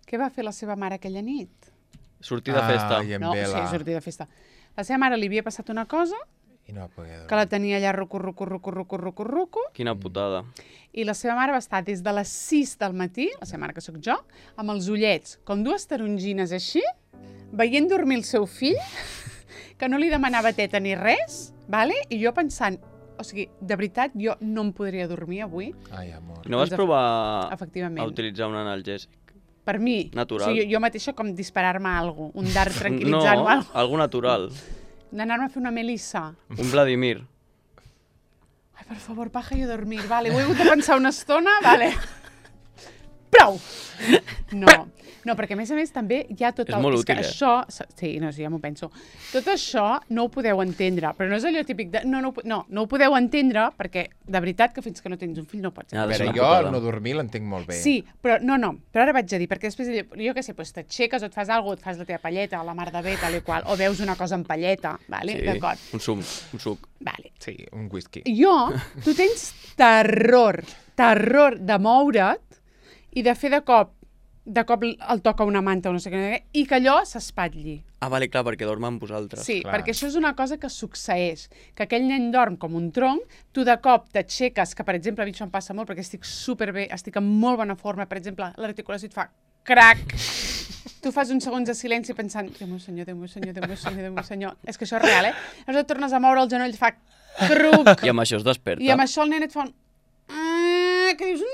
Què va fer la seva mare aquella nit? sortir de festa. Ai, en No, vela. sí, sortir de festa. La seva mare li havia passat una cosa, I no va poder dormir. que la tenia allà ruco, Quina putada. i la seva mare va estar des de les 6 del matí, la seva mare que sóc jo, amb els ullets, com 2 tarongines així, veient dormir el seu fill, que no li demanava teta ni res, vale? I jo pensant, o sigui, de veritat, jo no em podria dormir avui, Ai, amor. No vas Doncs, provar efectivament. a utilitzar un analgèsic? Per mi. Natural. O sigui, jo mateixa com disparar-me alguna cosa, un dart tranquil·litzant o No, alguna cosa. algo natural. D'anar-me a fer una melissa. Un Vladimir. Ai, per favor, paja i a dormir. Vale, ho he hagut de pensar una estona, vale. Prou! No, perquè a més també hi ha tot És el... molt que útil, això... Sí, no, sí, ja m'ho penso. Tot això no ho podeu entendre, però no és allò típic de... No ho podeu entendre perquè, de veritat, que fins que no tens un fill no pots Ja, A és veure, una jo putada. el no dormir l'entenc molt bé. Sí, però però ara vaig a dir, perquè després, jo què sé, doncs t'aixeques o et fas alguna cosa, et fas la teva palleta, la mar de bé, tal i qual, o veus una cosa en palleta, vale? Sí, D'acord. un suc. Vale. Sí, un whisky. Tu tens terror de moure't i de fer de cop el toca una manta o no sé què, i que allò s'espatlli. Ah, vale, clar, perquè dorm amb vosaltres. Sí, clar. perquè això és una cosa que succeeix, que aquell nen dorm com un tronc, tu de cop t'aixeques, que per exemple a mi això em passa molt perquè estic superbé, estic en molt bona forma, per exemple, l'articulació et fa crac, tu fas uns segons de silenci pensant, Déu meu senyor, Déu meu senyor, Déu meu senyor, Déu meu senyor, és que això és real, Llavors et tornes a moure el genoll, et fa cruc, I amb això es desperta. i amb això el nen et fa un... que dius...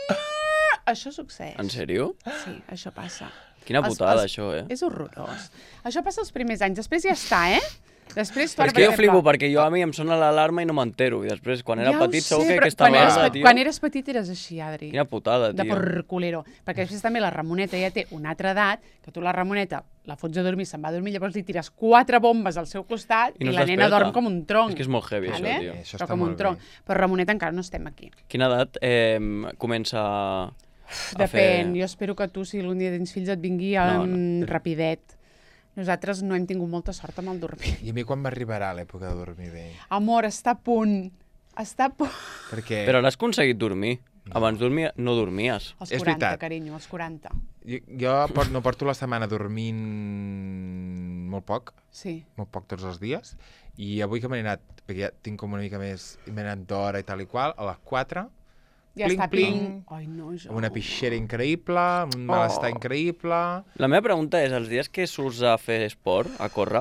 Això succeeix. En sèrio? Sí, això passa. Quina putada, això, És horrorós. Això passa els primers anys. Després ja està, Després, tu Però ara, és que jo per flipo exemple, perquè jo a mi em sona l'alarma i no m'entero. I després, quan era ja ho petit, sé, segur que però aquesta merda, tio... Quan eres petit eres així, Adri. Quina putada, De tio. por culero. Perquè després també la Ramoneta ja té una altra edat, que tu la Ramoneta la fots a dormir, se'n va a dormir, llavors li tires 4 bombes al seu costat I no i es la nena desperta. dorm com un tronc. És que és molt heavy, això, tio. Això Però està com un molt tronc. bé. Però Ramoneta encara no estem aquí. Quina edat comença a Depèn. fer... Jo espero que tu, si algun dia tens fills, et vingui No. rapidet. Nosaltres no hem tingut molta sort amb el dormir. I a mi quan m'arribarà l'època de dormir bé? Amor, està a punt. Està a punt. Perquè Però n'has aconseguit dormir. Abans no dormies. Els És 40, veritat. carinyo, els 40. jo no porto la setmana dormint molt poc tots els dies, i avui que m'he anat, perquè ja tinc com una mica més, m'he anat d'hora i tal i qual, a les 4, Ja Pling, està pling. Ai, no, jo. amb una pixera increïble, amb un malestar increïble... La meva pregunta és, els dies que surts a fer esport, a córrer,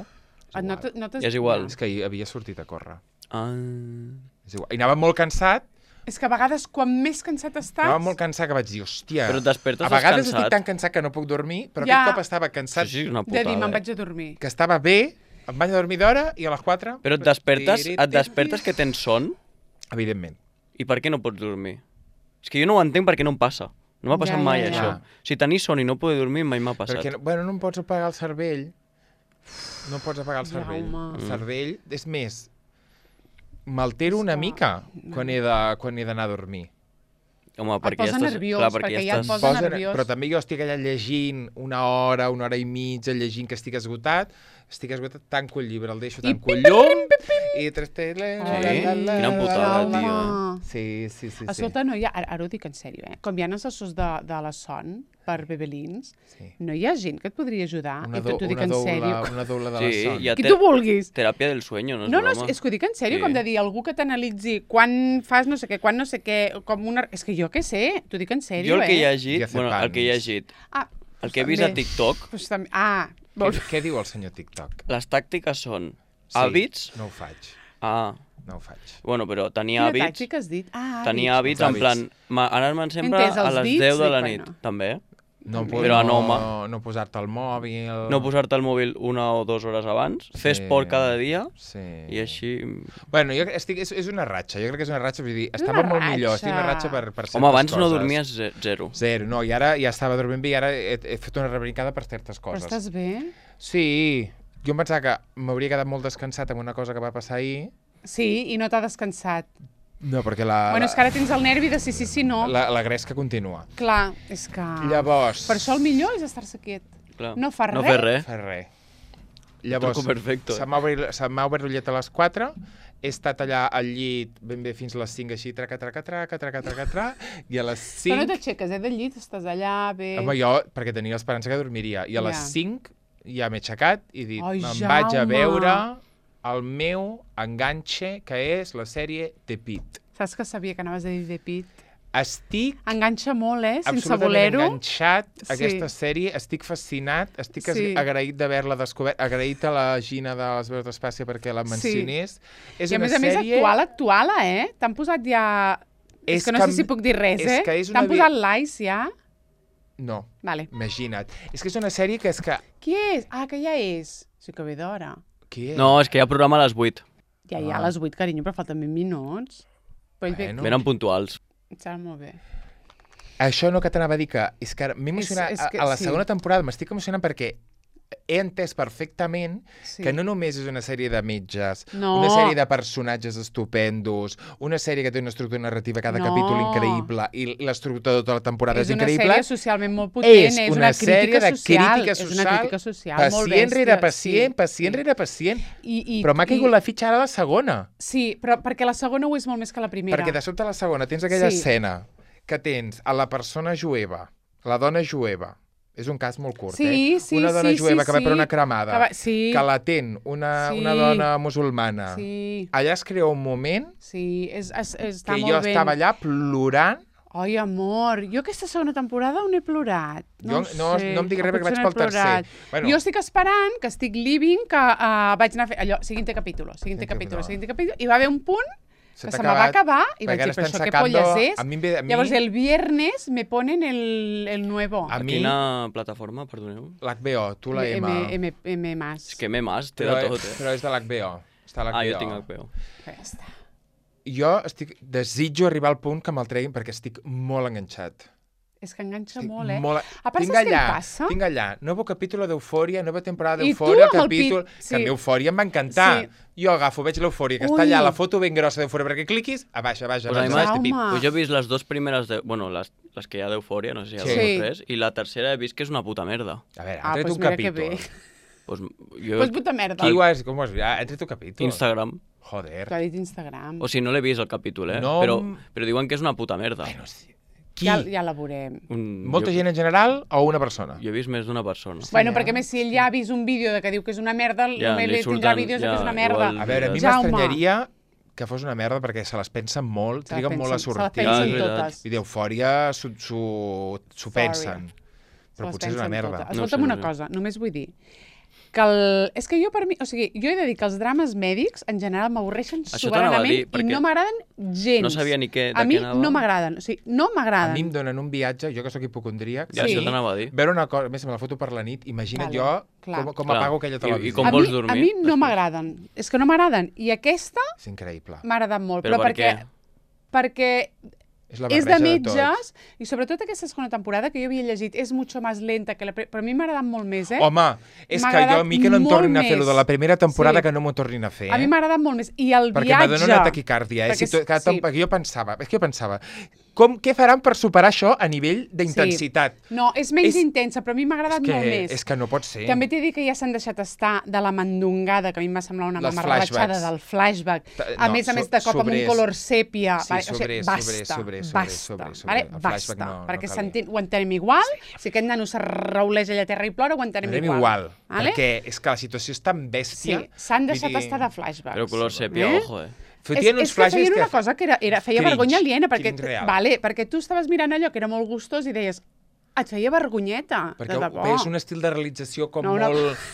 No t'has- És igual. És que ahir havia sortit a córrer. ah, És igual. I anava molt cansat, És que a vegades, quan més cansat estàs... anava molt cansat que vaig dir, hòstia... Però et despertes a vegades descansat. estic tan cansat que no puc dormir, però Ja. aquest cop estava cansat, això sí que és una de putada. dir, me'n eh? vaig a dormir. que estava bé, em vaig a dormir d'hora i a les 4... Però et despertes que tens son Evidentment. i per què no pots dormir? És que jo no ho entenc perquè no em passa. No m'ha passat Ja, mai, ja, això. ja. Si tenir son i no poder dormir mai m'ha passat. Perquè, bueno, no em pots apagar el cervell. No em pots apagar el cervell. Jaume. El cervell, és més, m'altero una mica quan he d'anar a dormir. Home, perquè posa ja estàs... nerviós, clar, perquè ja ja et estàs... posa nerviós. Però també jo estic allà llegint una hora i mitja, llegint que estic esgotat, tanco el llibre, el deixo, tanco el llum, i tres teles... Quina putada, tio. Sí. Escolta, no hi ha... Ara ho dic en sèrio, eh? Com hi ha assessors de la son per bebelins, Sí. no hi ha gent que et podria ajudar? Una, I t'ho dic en sèrio. una doula de la Sí, son. hi ha Qui tu vulguis. teràpia del sueño, no és No, broma? és que ho dic en sèrio, Sí. com de dir algú que t'analitzi quan fas no sé què, quan no sé què, com una... És que jo què sé, t'ho dic en sèrio, Jo el que he eh? llegit, Diazepams. el que he llegit, Ah, el que he vist a TikTok, Pues també... Ah, Què diu el senyor TikTok? les tàctiques són Sí, hàbits... No ho faig, No ho faig. Bueno, però tenia quina hàbits... tàctica has dit? Ah, Tenia hàbits en Hàbits. plan... Anar-me'n sempre Entès, a els les dits, 10 de la dic, nit, bueno. també. No, Però a Noma. no posar-te el mòbil... No posar-te el mòbil 1 o 2 hores abans, fer Sí. esport cada dia Sí. i així... Bueno, jo estic, és una ratxa, jo crec que és una ratxa, vull dir, estava molt millor, estic una ratxa per certes Home, abans no coses. dormies zero. Zero, no, i ara ja estava dormint bé i ara he fet una rebrincada per certes Però coses. estàs bé? Sí, jo em pensava que m'hauria quedat molt descansat amb una cosa que va passar ahir. Sí, i no t'ha descansat. No, perquè la, Bueno, és que ara tens el nervi de sí, no. la gresca continua. Clar, és que... Llavors... Per això el millor és estar-se quiet. Clar. No fa No res. fer res. Fa res. Llavors, Truco perfecto. se m'ha obert l'ullet a les 4, he estat allà al llit ben bé fins a les 5, així, traca, i a les Però no 5... t'aixeques, del llit, estàs allà, bé... Home, jo, perquè tenia l'esperança que dormiria, i a les Ja. 5 ja m'he aixecat i he dit, Ai, me'n vaig a Jaume. veure el meu enganxe, que és la sèrie The Pitt. Saps que sabia que anaves a dir de pit? Estic Enganxa molt, sense absolutament voler-ho. enganxat a Sí. aquesta sèrie, estic fascinat, estic Sí. agraït d'haver-la descobert, agraït a la Gina de les veus d'Espàcia perquè la mencionés. És I a una més sèrie... actual, T'han posat ja... És que no sé si puc dir res, és que és una T'han posat likes ja? No, Vale. imagina't. És que és una sèrie que és que... Qui és? Ah, que ja és. Sí que ve d'hora. Qui és? No, és que hi ha programa a les 8. Ja hi ha a les 8, carinyo, però falten 20 minuts. Però ell Bueno. Venen puntuals. Serà molt bé. Això no que t'anava a dir que... És que ara m'he emocionat... és que a la sí. segona temporada m'estic emocionant perquè he entès perfectament Sí. que no només és una sèrie de metges, No. una sèrie de personatges estupendos, una sèrie que té una estructura narrativa, cada No. capítol increïble, i l'estructura de tota la temporada és És una increïble. sèrie socialment molt potent, és una sèrie crítica de social. crítica És una social, crítica social molt pacient rere bèstia, pacient, sí. pacient rere pacient. I, Però m'ha caigut la fitxa ara la segona. Sí, però perquè la segona ho és molt més que la primera. Perquè de sobte a la segona tens aquella Sí. escena que tens a la persona jueva, la dona jueva, és un cas molt curt, Sí, sí, una dona sí, jueva sí, que va per sí. una cremada, Que va- sí. que l'atén una Sí. dona musulmana. Sí, Allà es crea un moment sí, està que molt jo ben. estava allà plorant. Ai, amor, jo aquesta segona temporada on he plorat? No, Jo no em diguis res perquè vaig pel tercer. Bueno. Jo estic esperant, que estic living, que vaig anar a fer allò, siguiente capítol, Siguiente capítol. i va haver un punt Se Que t'ha se me va acabar i vaig perquè dir, ara però estan això què sacando- polles és? a mi- Llavors el viernes me ponen el nuevo. A mi, Quina plataforma, perdoneu? l'HBO, tu la M. M más. És que m'he mas, té Però, de tot, però és de l'HBO. Està a l'HBO. Ah, jo tinc HBO. Ja està. Jo desitjo arribar al punt que me'l treguin perquè estic molt enganxat. És que enganxa Estic molt, eh? molt... A part, tinc saps què em allà, passa? tinc allà, nuevo capítol d'Eufòria, nova temporada I tu d'Eufòria, amb el capítol... pit, Que a mi sí. Eufòria em va encantar. Sí. Jo agafo, veig l'Eufòria, que està Ui. allà, la foto ben grossa d'Eufòria, perquè cliquis, a baix, Pues a mi m'ha- Jaume. Pues jo he vist les 2 primeres, bueno, les que hi ha d'Eufòria, no sé si hi ha Sí. 2 o 3, i la tercera he vist que és una puta merda. A veure, Ah, ha tret pues un mira que capítol. bé. Pues jo... Pues puta merda. Qui ho has... Com ho has vist? Ha tret un capítol. Instagram. Joder. T'ha dit Instagram. O sigui, no l'he vist el capítol, No, però diuen que és una puta merda. Bueno, sí. Qui? Ja la veurem. Molta gent en general o una persona? Jo he vist més d'una persona. Bueno, perquè a més, si ell ja ha vist un vídeo de que diu que és una merda, Ja, només li li tindrà surten- vídeos de ja, que és una merda. igual- A veure, a mi Jaume. m'estranyaria que fos una merda perquè se les pensen molt, Se les triguen molt a pensen- sortir. Se les pensen és veritat. totes. I d'Eufòria s'ho pensen. Se Però les potser és una pensen merda. totes. No Escolta'm sé, una no sé. cosa, només vull dir que és que jo per mi, o sigui, jo he de dir que els drames mèdics en general m'avorreixen Això t'anava a soberanament dir, i perquè no m'agraden gens. no sabia ni què- de A mi què anava. no m'agraden, o sigui, no A m'agraden. mi em donen un viatge, jo que sóc hipocondríac, Ja, Sí. això t'anava a dir. veure una cosa, a més me la foto per la nit, imagina't Vale, jo clar. com Clar. apago aquella I televisió. com a vols mi, dormir a mi no després? m'agraden, és que no m'agraden. I aquesta És increïble. m'ha agradat molt, Però per perquè És la és de barreja tot. metges, i sobretot aquesta segona temporada, que jo havia llegit, és mucho más lenta que la... Però a mi m'ha agradat molt més, eh? Home, és M'ha que jo a agradat mi que no em molt tornin a fer lo de la més. primera temporada, Sí. que no m'ho tornin a fer. A mi m'ha agradat molt més. I el Perquè viatge... me dona una taquicàrdia. Perquè Perquè jo pensava, què faran per superar això a nivell d'intensitat? No, és menys És- intensa, però a mi m'ha agradat molt més. És que no pot ser. També t'he dit que ja s'han deixat estar de la mandongada, que a mi em va semblar una Les mamarratxada flashbacks. del flashback. A No, més, de cop amb un sobrers. color sèpia. Sí, vale? O sigui, sobrers, basta, sobrers, basta, sobrers. vale? El Basta, flashback no perquè calia. ho entenem igual. Si aquest nano se rauleix allà a terra i plora, ho entenem Anem igual. igual, Vale? perquè és que la situació és tan bèstia. Sí, s'han deixat Vull dir, estar de flashbacks. Però color sèpia, Eh? ojo, Fotien uns és que flashes feien una cosa que feia Cringe, vergonya aliena, perquè, cringe real. vale, perquè tu estaves mirant allò que era molt gustós i deies, et feia vergonyeta, Perquè de debò. veies un estil de realització com, No, no.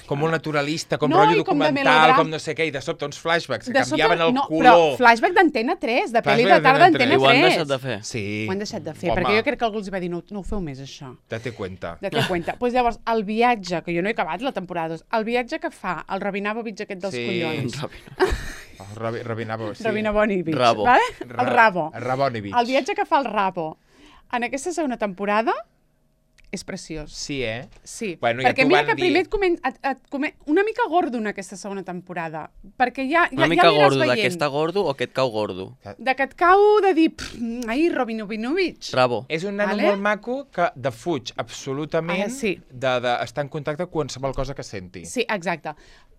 com molt naturalista, com No, rotllo i com de documental, melodrama. com no sé què, i de sobte uns flashbacks que De sobte, canviaven el no, color. Però flashback d'Antena 3, de pel·li de Flashback tarda d'Antena d'Antena 3. I ho han deixat de fer. Sí. Ho han deixat de fer, Home, perquè jo crec que algú els va dir, no ho feu més, això. Date cuenta. Date cuenta. Pues llavors, el viatge, que jo no he acabat la temporada 2, el viatge que fa el Rabinavovich aquest dels Sí. collons. Rabinavo, sí. Rabinavovich, Rabo. vale? El Rabo. Rabonevich. El viatge que fa el Rabo en aquesta segona temporada és preciós. Sí, eh? Sí, Bueno, ja perquè t'ho mira van que dir. primer una mica gordo en aquesta segona temporada, perquè ja Una mica l'aniràs gordo, de veient. que està gordo o que et cau gordo? De que et cau de dir, ai, Rabinavovich. Rabo. És un nano Vale. molt maco que defuig absolutament Sí. d'estar en contacte amb qualsevol cosa que senti. Sí, exacte.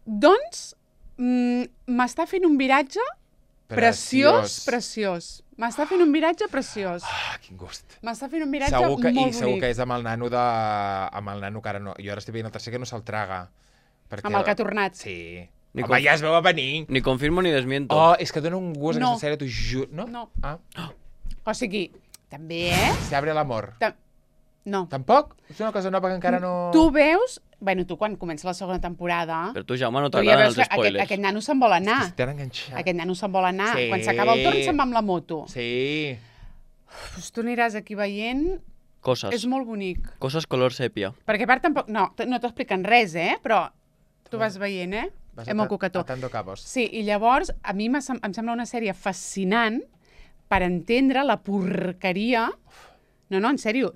Doncs m'està fent un viratge preciós. M'està fent un viratge preciós. Ah, quin gust. M'està fent un viratge Segur que, molt I segur bonic. que és amb el nano que ara no... Jo ara estic veient el tercer que no se'l traga. Perquè... Amb el que ha tornat. Sí. Ni Home, ja es veu a venir. Ni confirmo ni desmiento. Oh, és que dona un gust No. aquesta sèrie, t'ho juro. No? No. Ah, O sigui, també, eh? se abre l'amor. No. Tampoc? És una cosa nova que encara no... Tu veus... Bueno, tu quan comença la segona temporada... Per tu, Jaume, no tu ja t'agraden veus els que spoilers. aquest nano se'n vol anar. Estan enganxats. Aquest nano se'n vol anar. Sí. Quan s'acaba el torn se'n va amb la moto. Sí. Pues tu aniràs aquí veient... Coses. És molt bonic. Coses color sèpia. Perquè a part tampoc... No t'expliquen res, eh? Però tu vas veient, eh? Vas Hem el cocató. atando cabos. Sí, i llavors a mi em sembla una sèrie fascinant per entendre la porqueria... No, en sèrio,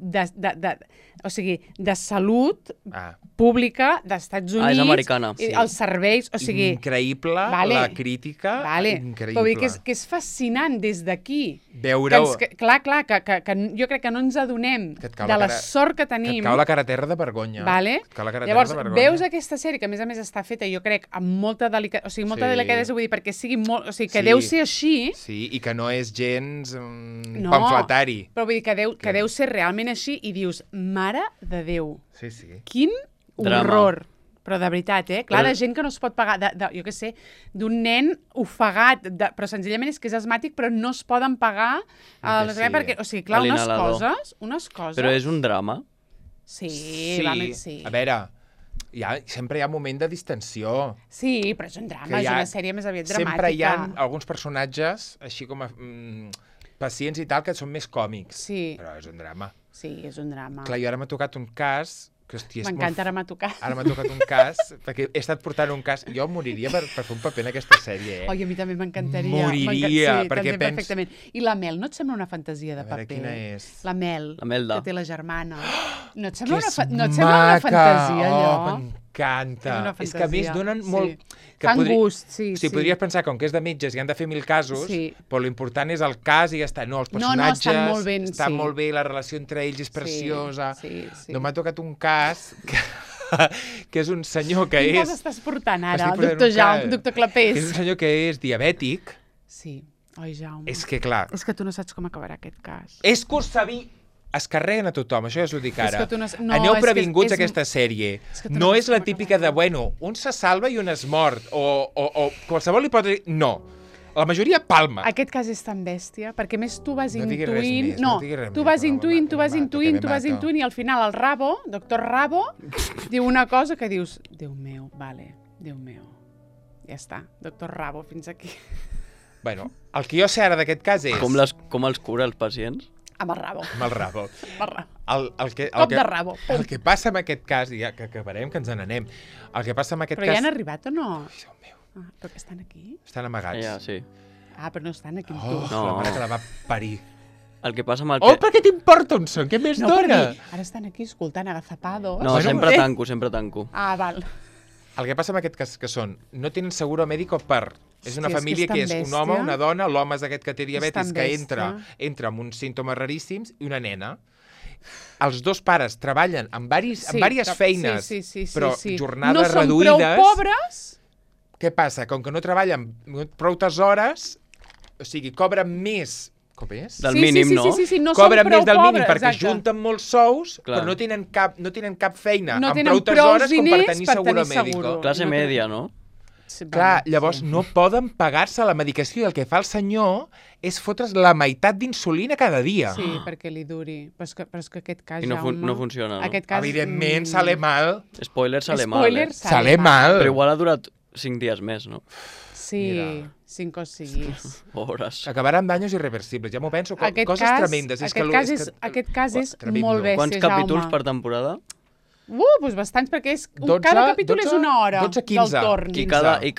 o sigui, de salut Ah, pública d'Estats Units. és americana. I Sí. els serveis, o sigui... increïble, Vale. la crítica, Vale. increïble. Però vull dir que és fascinant des d'aquí. Veure-ho, Clar, que jo crec que no ens adonem Que et cau de la la cara- sort que que tenim. et cau la cara a terra de vergonya. Vale? Et cau la cara a Llavors, terra de vergonya. veus aquesta sèrie, que a més està feta, jo crec, amb molta delicadesa, o sigui, molta Sí. delicadesa, vull dir, perquè sigui molt... O sigui, que Sí. deu ser així, Sí, i que no és gens No. pamfletari. però vull dir que deu ser realment així i dius, mare de Déu, Sí, sí. quin Drama. horror. Però de veritat, clar, Però- de gent que no es pot pagar, jo què sé, d'un nen ofegat, però senzillament és que és asmàtic, però no es poden pagar Que sí. perquè, o sigui, clar, A unes l'inhalador. coses... Però és un drama. Sí, va, sí. A veure, sempre hi ha un moment de distensió. Sí, però és un drama, Que és hi ha- una sèrie més aviat dramàtica. Sempre hi ha alguns personatges, així com a pacients i tal, que són més còmics. Sí, Però és un drama. sí, és un drama. Clar, jo ara m'ha tocat un cas que, hòstia, és M'encanta, ara molt... m'ha tocat. Ara m'ha tocat un cas, perquè he estat portant un cas... Jo moriria per fer un paper en aquesta sèrie, Oi, a mi també m'encantaria. Moriria, sí, perquè t'entenc perfectament. I la Mel, no et sembla una fantasia de A veure, paper? quina és? La Mel, La Melda. que té la germana. No et Que sembla, és no et sembla una fantasia, allò? M'encanta. És una És que a més fantasia, donen sí. molt... Que Fan gust, sí, O sigui, podries pensar, com que és de metges i han de fer 1000 casos, Sí. però l'important és el cas i ja està. No, els No, no, personatges estan molt ben, estan sí. molt bé, la relació entre ells és preciosa. Sí, sí. No m'ha tocat un cas que és un senyor que Quin és... cas estàs portant ara, Estic portant doctor un Jaume, cas. doctor Que és Clapés? un senyor que és diabètic. Sí. Oi, Jaume. És que, clar, És que tu no saps com acabarà aquest cas. és que ho sabia... Es carreguen a tothom, això ja us ho dic ara. que tu no- no, Aneu és que previnguts és- a aquesta sèrie. és que tu No no és saps la com típica de, acabarà. bueno, un se salva i un es mort, o qualsevol li pot dir... No. La majoria palma. Aquest cas és tan bèstia, perquè més tu vas No diguis res intuint... més, no diguis res tu més, vas no, intuint, tu me vas mato, intuint, que tu me vas mato. intuint, i al final el Rabo, doctor Rabo, diu una cosa que dius, Déu meu, vale, Déu meu. Ja està, doctor Rabo, fins aquí. Bueno, el que jo sé ara d'aquest cas és... Com els cura els pacients? Amb el Rabo. Amb el rabo. Amb el Rabo. El Cop de rabo. El que passa amb aquest cas, i ja que acabarem, que ens n'anem, el que passa amb aquest Però ja cas... han arribat o no? Ai, Déu meu, Ah, però que estan aquí? estan amagats. Ja, sí. Ah, però no estan aquí amb Oh, tu. No. la mare que la va parir. El que passa amb el... Oh, per què t'importa on són? Què més No, dona? perquè ara estan aquí escoltant agazapados. No, Bueno, sempre eh. tanco, sempre tanco. Ah, val. El que passa amb aquest cas que són, no tenen seguro mèdico per... És una Hòstia, és que família és que tan és un bèstia. home, una dona, l'home és aquest que té tan diabetis, que bèstia. entra amb uns símptomes raríssims, i una nena. Els dos pares treballen en diverses feines, però jornades no reduïdes. No són prou pobres. Què passa? Com que no treballen prou hores, o sigui, cobren més... Com és? Del mínim, no? Sí, no Cobren són prou més del mínim pobres, perquè exacte. junten molts sous, Clar. però no tenen cap feina No amb tenen prou prous hores com per diners tenir per seguro tenir mèdico. seguro. Classe No té- media, no? Sí, Clar, vale, llavors sí. no poden pagar-se la medicació i el que fa el senyor és fotre's la meitat d'insulina cada dia. Sí, perquè li duri. Però és que aquest cas, I no, Jaume... no funciona, no? Aquest cas... Evidentment, sale mal. Spoiler, sale mal, Spoiler, eh? Sale mal. Però igual ha durat 5 dies més, no? Sí, Mira. 5 o 6. Pobres. Acabarà amb danys irreversibles. Ja m'ho penso. Coses tremendes. Aquest cas és tremendo. molt bèstia, Quants capítols Jaume. per temporada? Doncs bastants, perquè cada capítol és una hora 12, 15. del torn. I 15.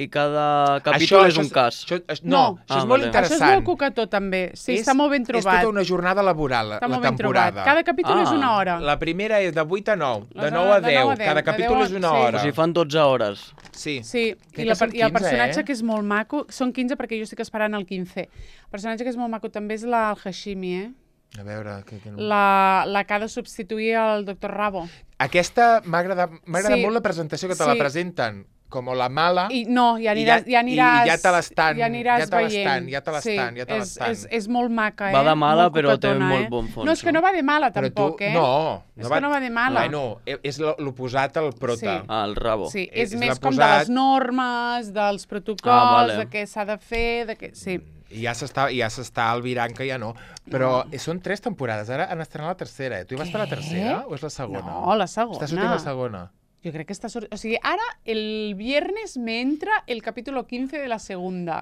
cada capítol és un cas. No, això és molt vale. Això és interessant. molt cucató, també. Sí, està molt ben És trobat. tota una jornada laboral, Està la molt ben trobat. temporada. Cada capítol és Ah. una hora. La primera és de 8 a 9, de Les 9 a de 9 a 10. 10, Cada de capítol 10 és una sí. hora. O sigui, fan 12 hores. Sí. Sí, Crec i que són el 15, personatge eh? que és molt maco... Són 15 perquè jo estic esperant el 15. El personatge que és molt maco també és el Hashimi, eh? A veure... Que no... La que ha de substituir el doctor Rabo. Aquesta m'ha agradat Sí. molt la presentació que te la Sí. presenten com la mala. I no, ja aniràs... I ja te l'estan- ja aniràs ja te l'estan, veient. ja te l'estan, ja te l'estan. És molt maca, eh? Va de mala, Molt però té cucatona, molt bon fons, No, és que no? no va de mala, Però tampoc, eh? No. És que no va de mala. Bueno, és l'oposat al prota. Sí. Ah, el rabo. Sí, És és més l'ha com de posat- les normes, dels protocols, vale. de què s'ha de fer, de què... Sí. I ja s'està albirant que ja no. Però són 3 temporades. Ara han estrenat la tercera. Tu hi vas per la tercera o és la segona? No, la segona. Està sortint la segona. Jo crec que està sortint... O sigui, ara, el viernes me entra el capítulo 15 de la segunda.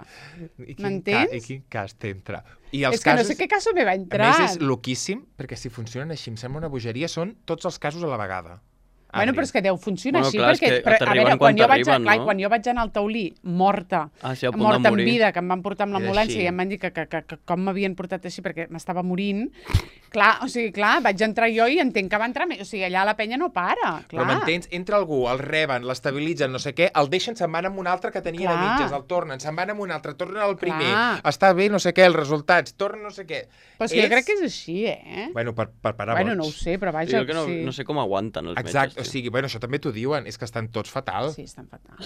I M'entens? I quin cas t'entra? I els És que no casos, sé què caso me va a entrar. més, és loquíssim, perquè si funcionen així, em sembla una bogeria, són tots els casos a la vegada. Bueno, però és que deu funcionar Bueno, així, clar, és perquè, que però, a t'arriben veure, quan quan jo, t'arriben, clar, no? quan jo vaig anar al taulí, morta, Ah, sí, a punt de morta en morir. vida, que em van portar amb Era l'ambulància així. i em van dir que com m'havien portat així perquè m'estava morint, clar, o sigui, clar, vaig entrar jo i entenc que va entrar més, o sigui, allà la penya no para, clar. Però m'entens? Entra algú, el reben, l'estabilitzen, no sé què, el deixen, se'n van amb un altre que tenia de Clar. mitges, el tornen, se'n van amb un altre, tornen al primer, Clar. està bé, no sé què, els resultats, tornen no sé què. Però és que jo crec que és així, eh? Bueno, per parar Bueno, boig. no ho sé, però Sí, vaja, jo que no, sí. no sé com aguanten els Exacte, o metges. sigui, bueno, això també t'ho diuen, és que estan tots fatal. Sí, estan fatal.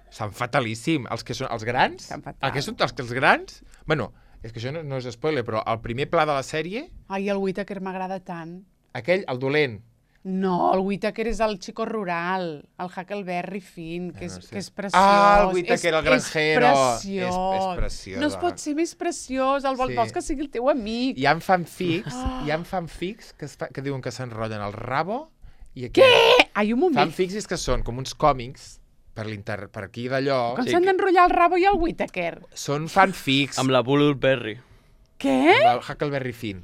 Estan fatalíssim. Els que són els grans, Estan fatal. els grans, bueno, és que això no és spoiler, però el primer pla de la sèrie, Ai, el Whittaker m'agrada tant. aquell, el dolent, No, el Whittaker és el chico rural, el Huckleberry Finn, que és, no sé. que és preciós. Ah, el Whittaker, el granjero. És preciós. És preciós. No es pot ser més preciós, Sí. vols que sigui el teu amic. hi ha fanfics que diuen que s'enrotllen el rabo I Què? Ai, un moment. Fanfics és que són com uns còmics per aquí d'allò. Com s'han d'enrotllar el Rabo i el Whittaker? Són fanfics Amb la Bullberry. Què? amb el Huckleberry Finn.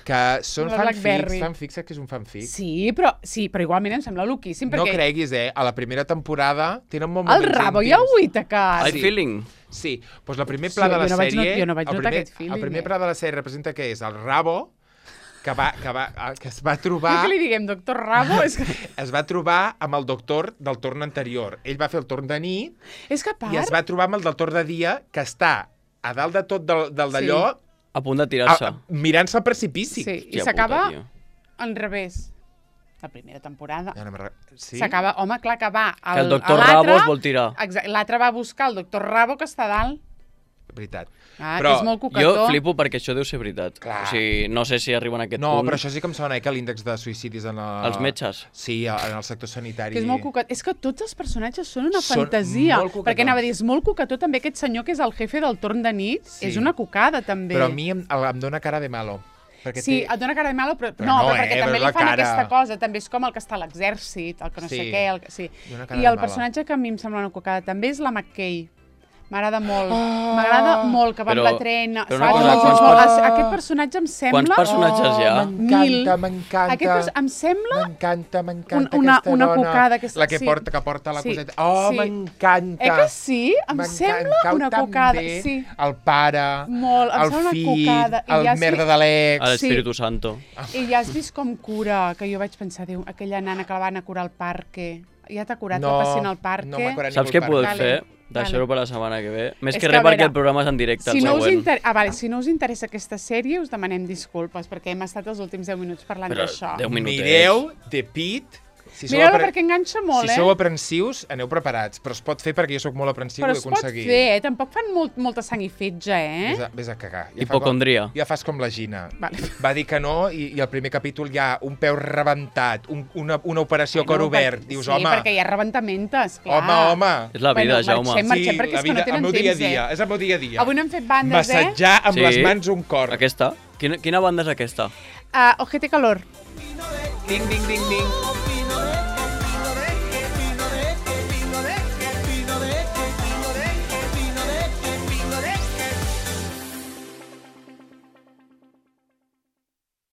Que són La Blackberry. fanfics, saps que és un fanfic? Sí, però igualment em sembla loquíssim, No perquè creguis, a la primera temporada tenen molt el moments Rabo i íntims. el Whittaker. I feeling. Sí, doncs el primer pla Sí, de la jo no vaig sèrie... jo no vaig notar aquest feeling, El primer eh? pla de la sèrie representa que és el Rabo, que es va trobar... Que li diguem doctor Rabo? Es va trobar amb el doctor del torn anterior. Ell va fer el torn de nit És que a part... i es va trobar amb el del torn de dia, que està a dalt de tot d'allò, A punt de tirar-se. mirant-se al precipici. Sí, i Hòstia s'acaba puta, tio. al revés. La primera temporada. Ja no sí? S'acaba, home, clar que va... Que el doctor Rabo es vol tirar. Exacte, l'altre va a buscar el doctor Rabo, que està a dalt. Veritat. Ah, Però que és molt Jo coquetó. flipo perquè això deu ser veritat. Clar. O sigui, no sé si arriben a aquest No, punt. però això sí que em sona, que l'índex de suïcidis en Els metges. Sí, en el sector sanitari. Que és molt coquetó. És que tots els personatges són una Són fantasia. molt coquetons. Perquè anava a dir, és molt coquetó també aquest senyor que és el jefe del torn de nit. Sí. És una cocada, també. Però a mi em dona cara de malo. Perquè Sí, té... et dona cara de malo, però Però no, no, però perquè també veure li la fan cara. aquesta cosa. També és com el que està a l'exèrcit, el que no Sí. sé què. Sí. Dona cara I de el mala. personatge que a mi em sembla una cocada també és la McKay. M'agrada molt. M'agrada molt, que va amb Però- la trena. però saps? una cosa, Molt, quants molt. Aquest personatge em sembla... Quants personatges hi ha? M'encanta, Mil. m'encanta. Em sembla... M'encanta una aquesta dona. cocada. La que sí. porta la Sí, coseta. Oh, sí. m'encanta. Que sí? Em M'encanta. sembla Cau una tan cocada. bé Sí. El pare, Molt, em el sembla una fill, cocada. I el ja sí- merda de A l'ex. l'Espíritu Santo. I ja has vist com cura, que jo vaig pensar, Déu, aquella nana que la van a curar al parque. Ja t'ha curat la pacient al parque? no m'ha curat Saps ningú què al podeu parc. Vale, fer? Deixar-ho per la setmana que ve. Més És que que, res a veure, perquè el programa és en directe, el Si no, següent. si no us interessa aquesta sèrie, us demanem disculpes, perquè hem estat els últims 10 minuts parlant Però d'això. 10 minutets. Mireu The Pit. Si sou Mireu-la apre- perquè enganxa molt, Si sou aprensius, aneu preparats. Però es pot fer perquè jo sóc molt aprensiu Però i ho es he pot aconseguit. fer, molta sang i fetge, Vés a cagar. Hipocondria. Ja fas com la Gina. Vale. Va dir que no i al primer capítol hi ha un peu rebentat, una operació a cor obert. Dius, sí, home, perquè hi ha rebentamentes, clar. home. És la vida, Jaume. Marxem perquè la és que no vida, tenen el meu dia a temps, dia. És el meu dia a dia. Avui no hem fet bandes, Massatjar amb Sí. les mans un cor. Aquesta? Quina banda és aquesta? Ojete Calor. Ding, ding, ding, ding.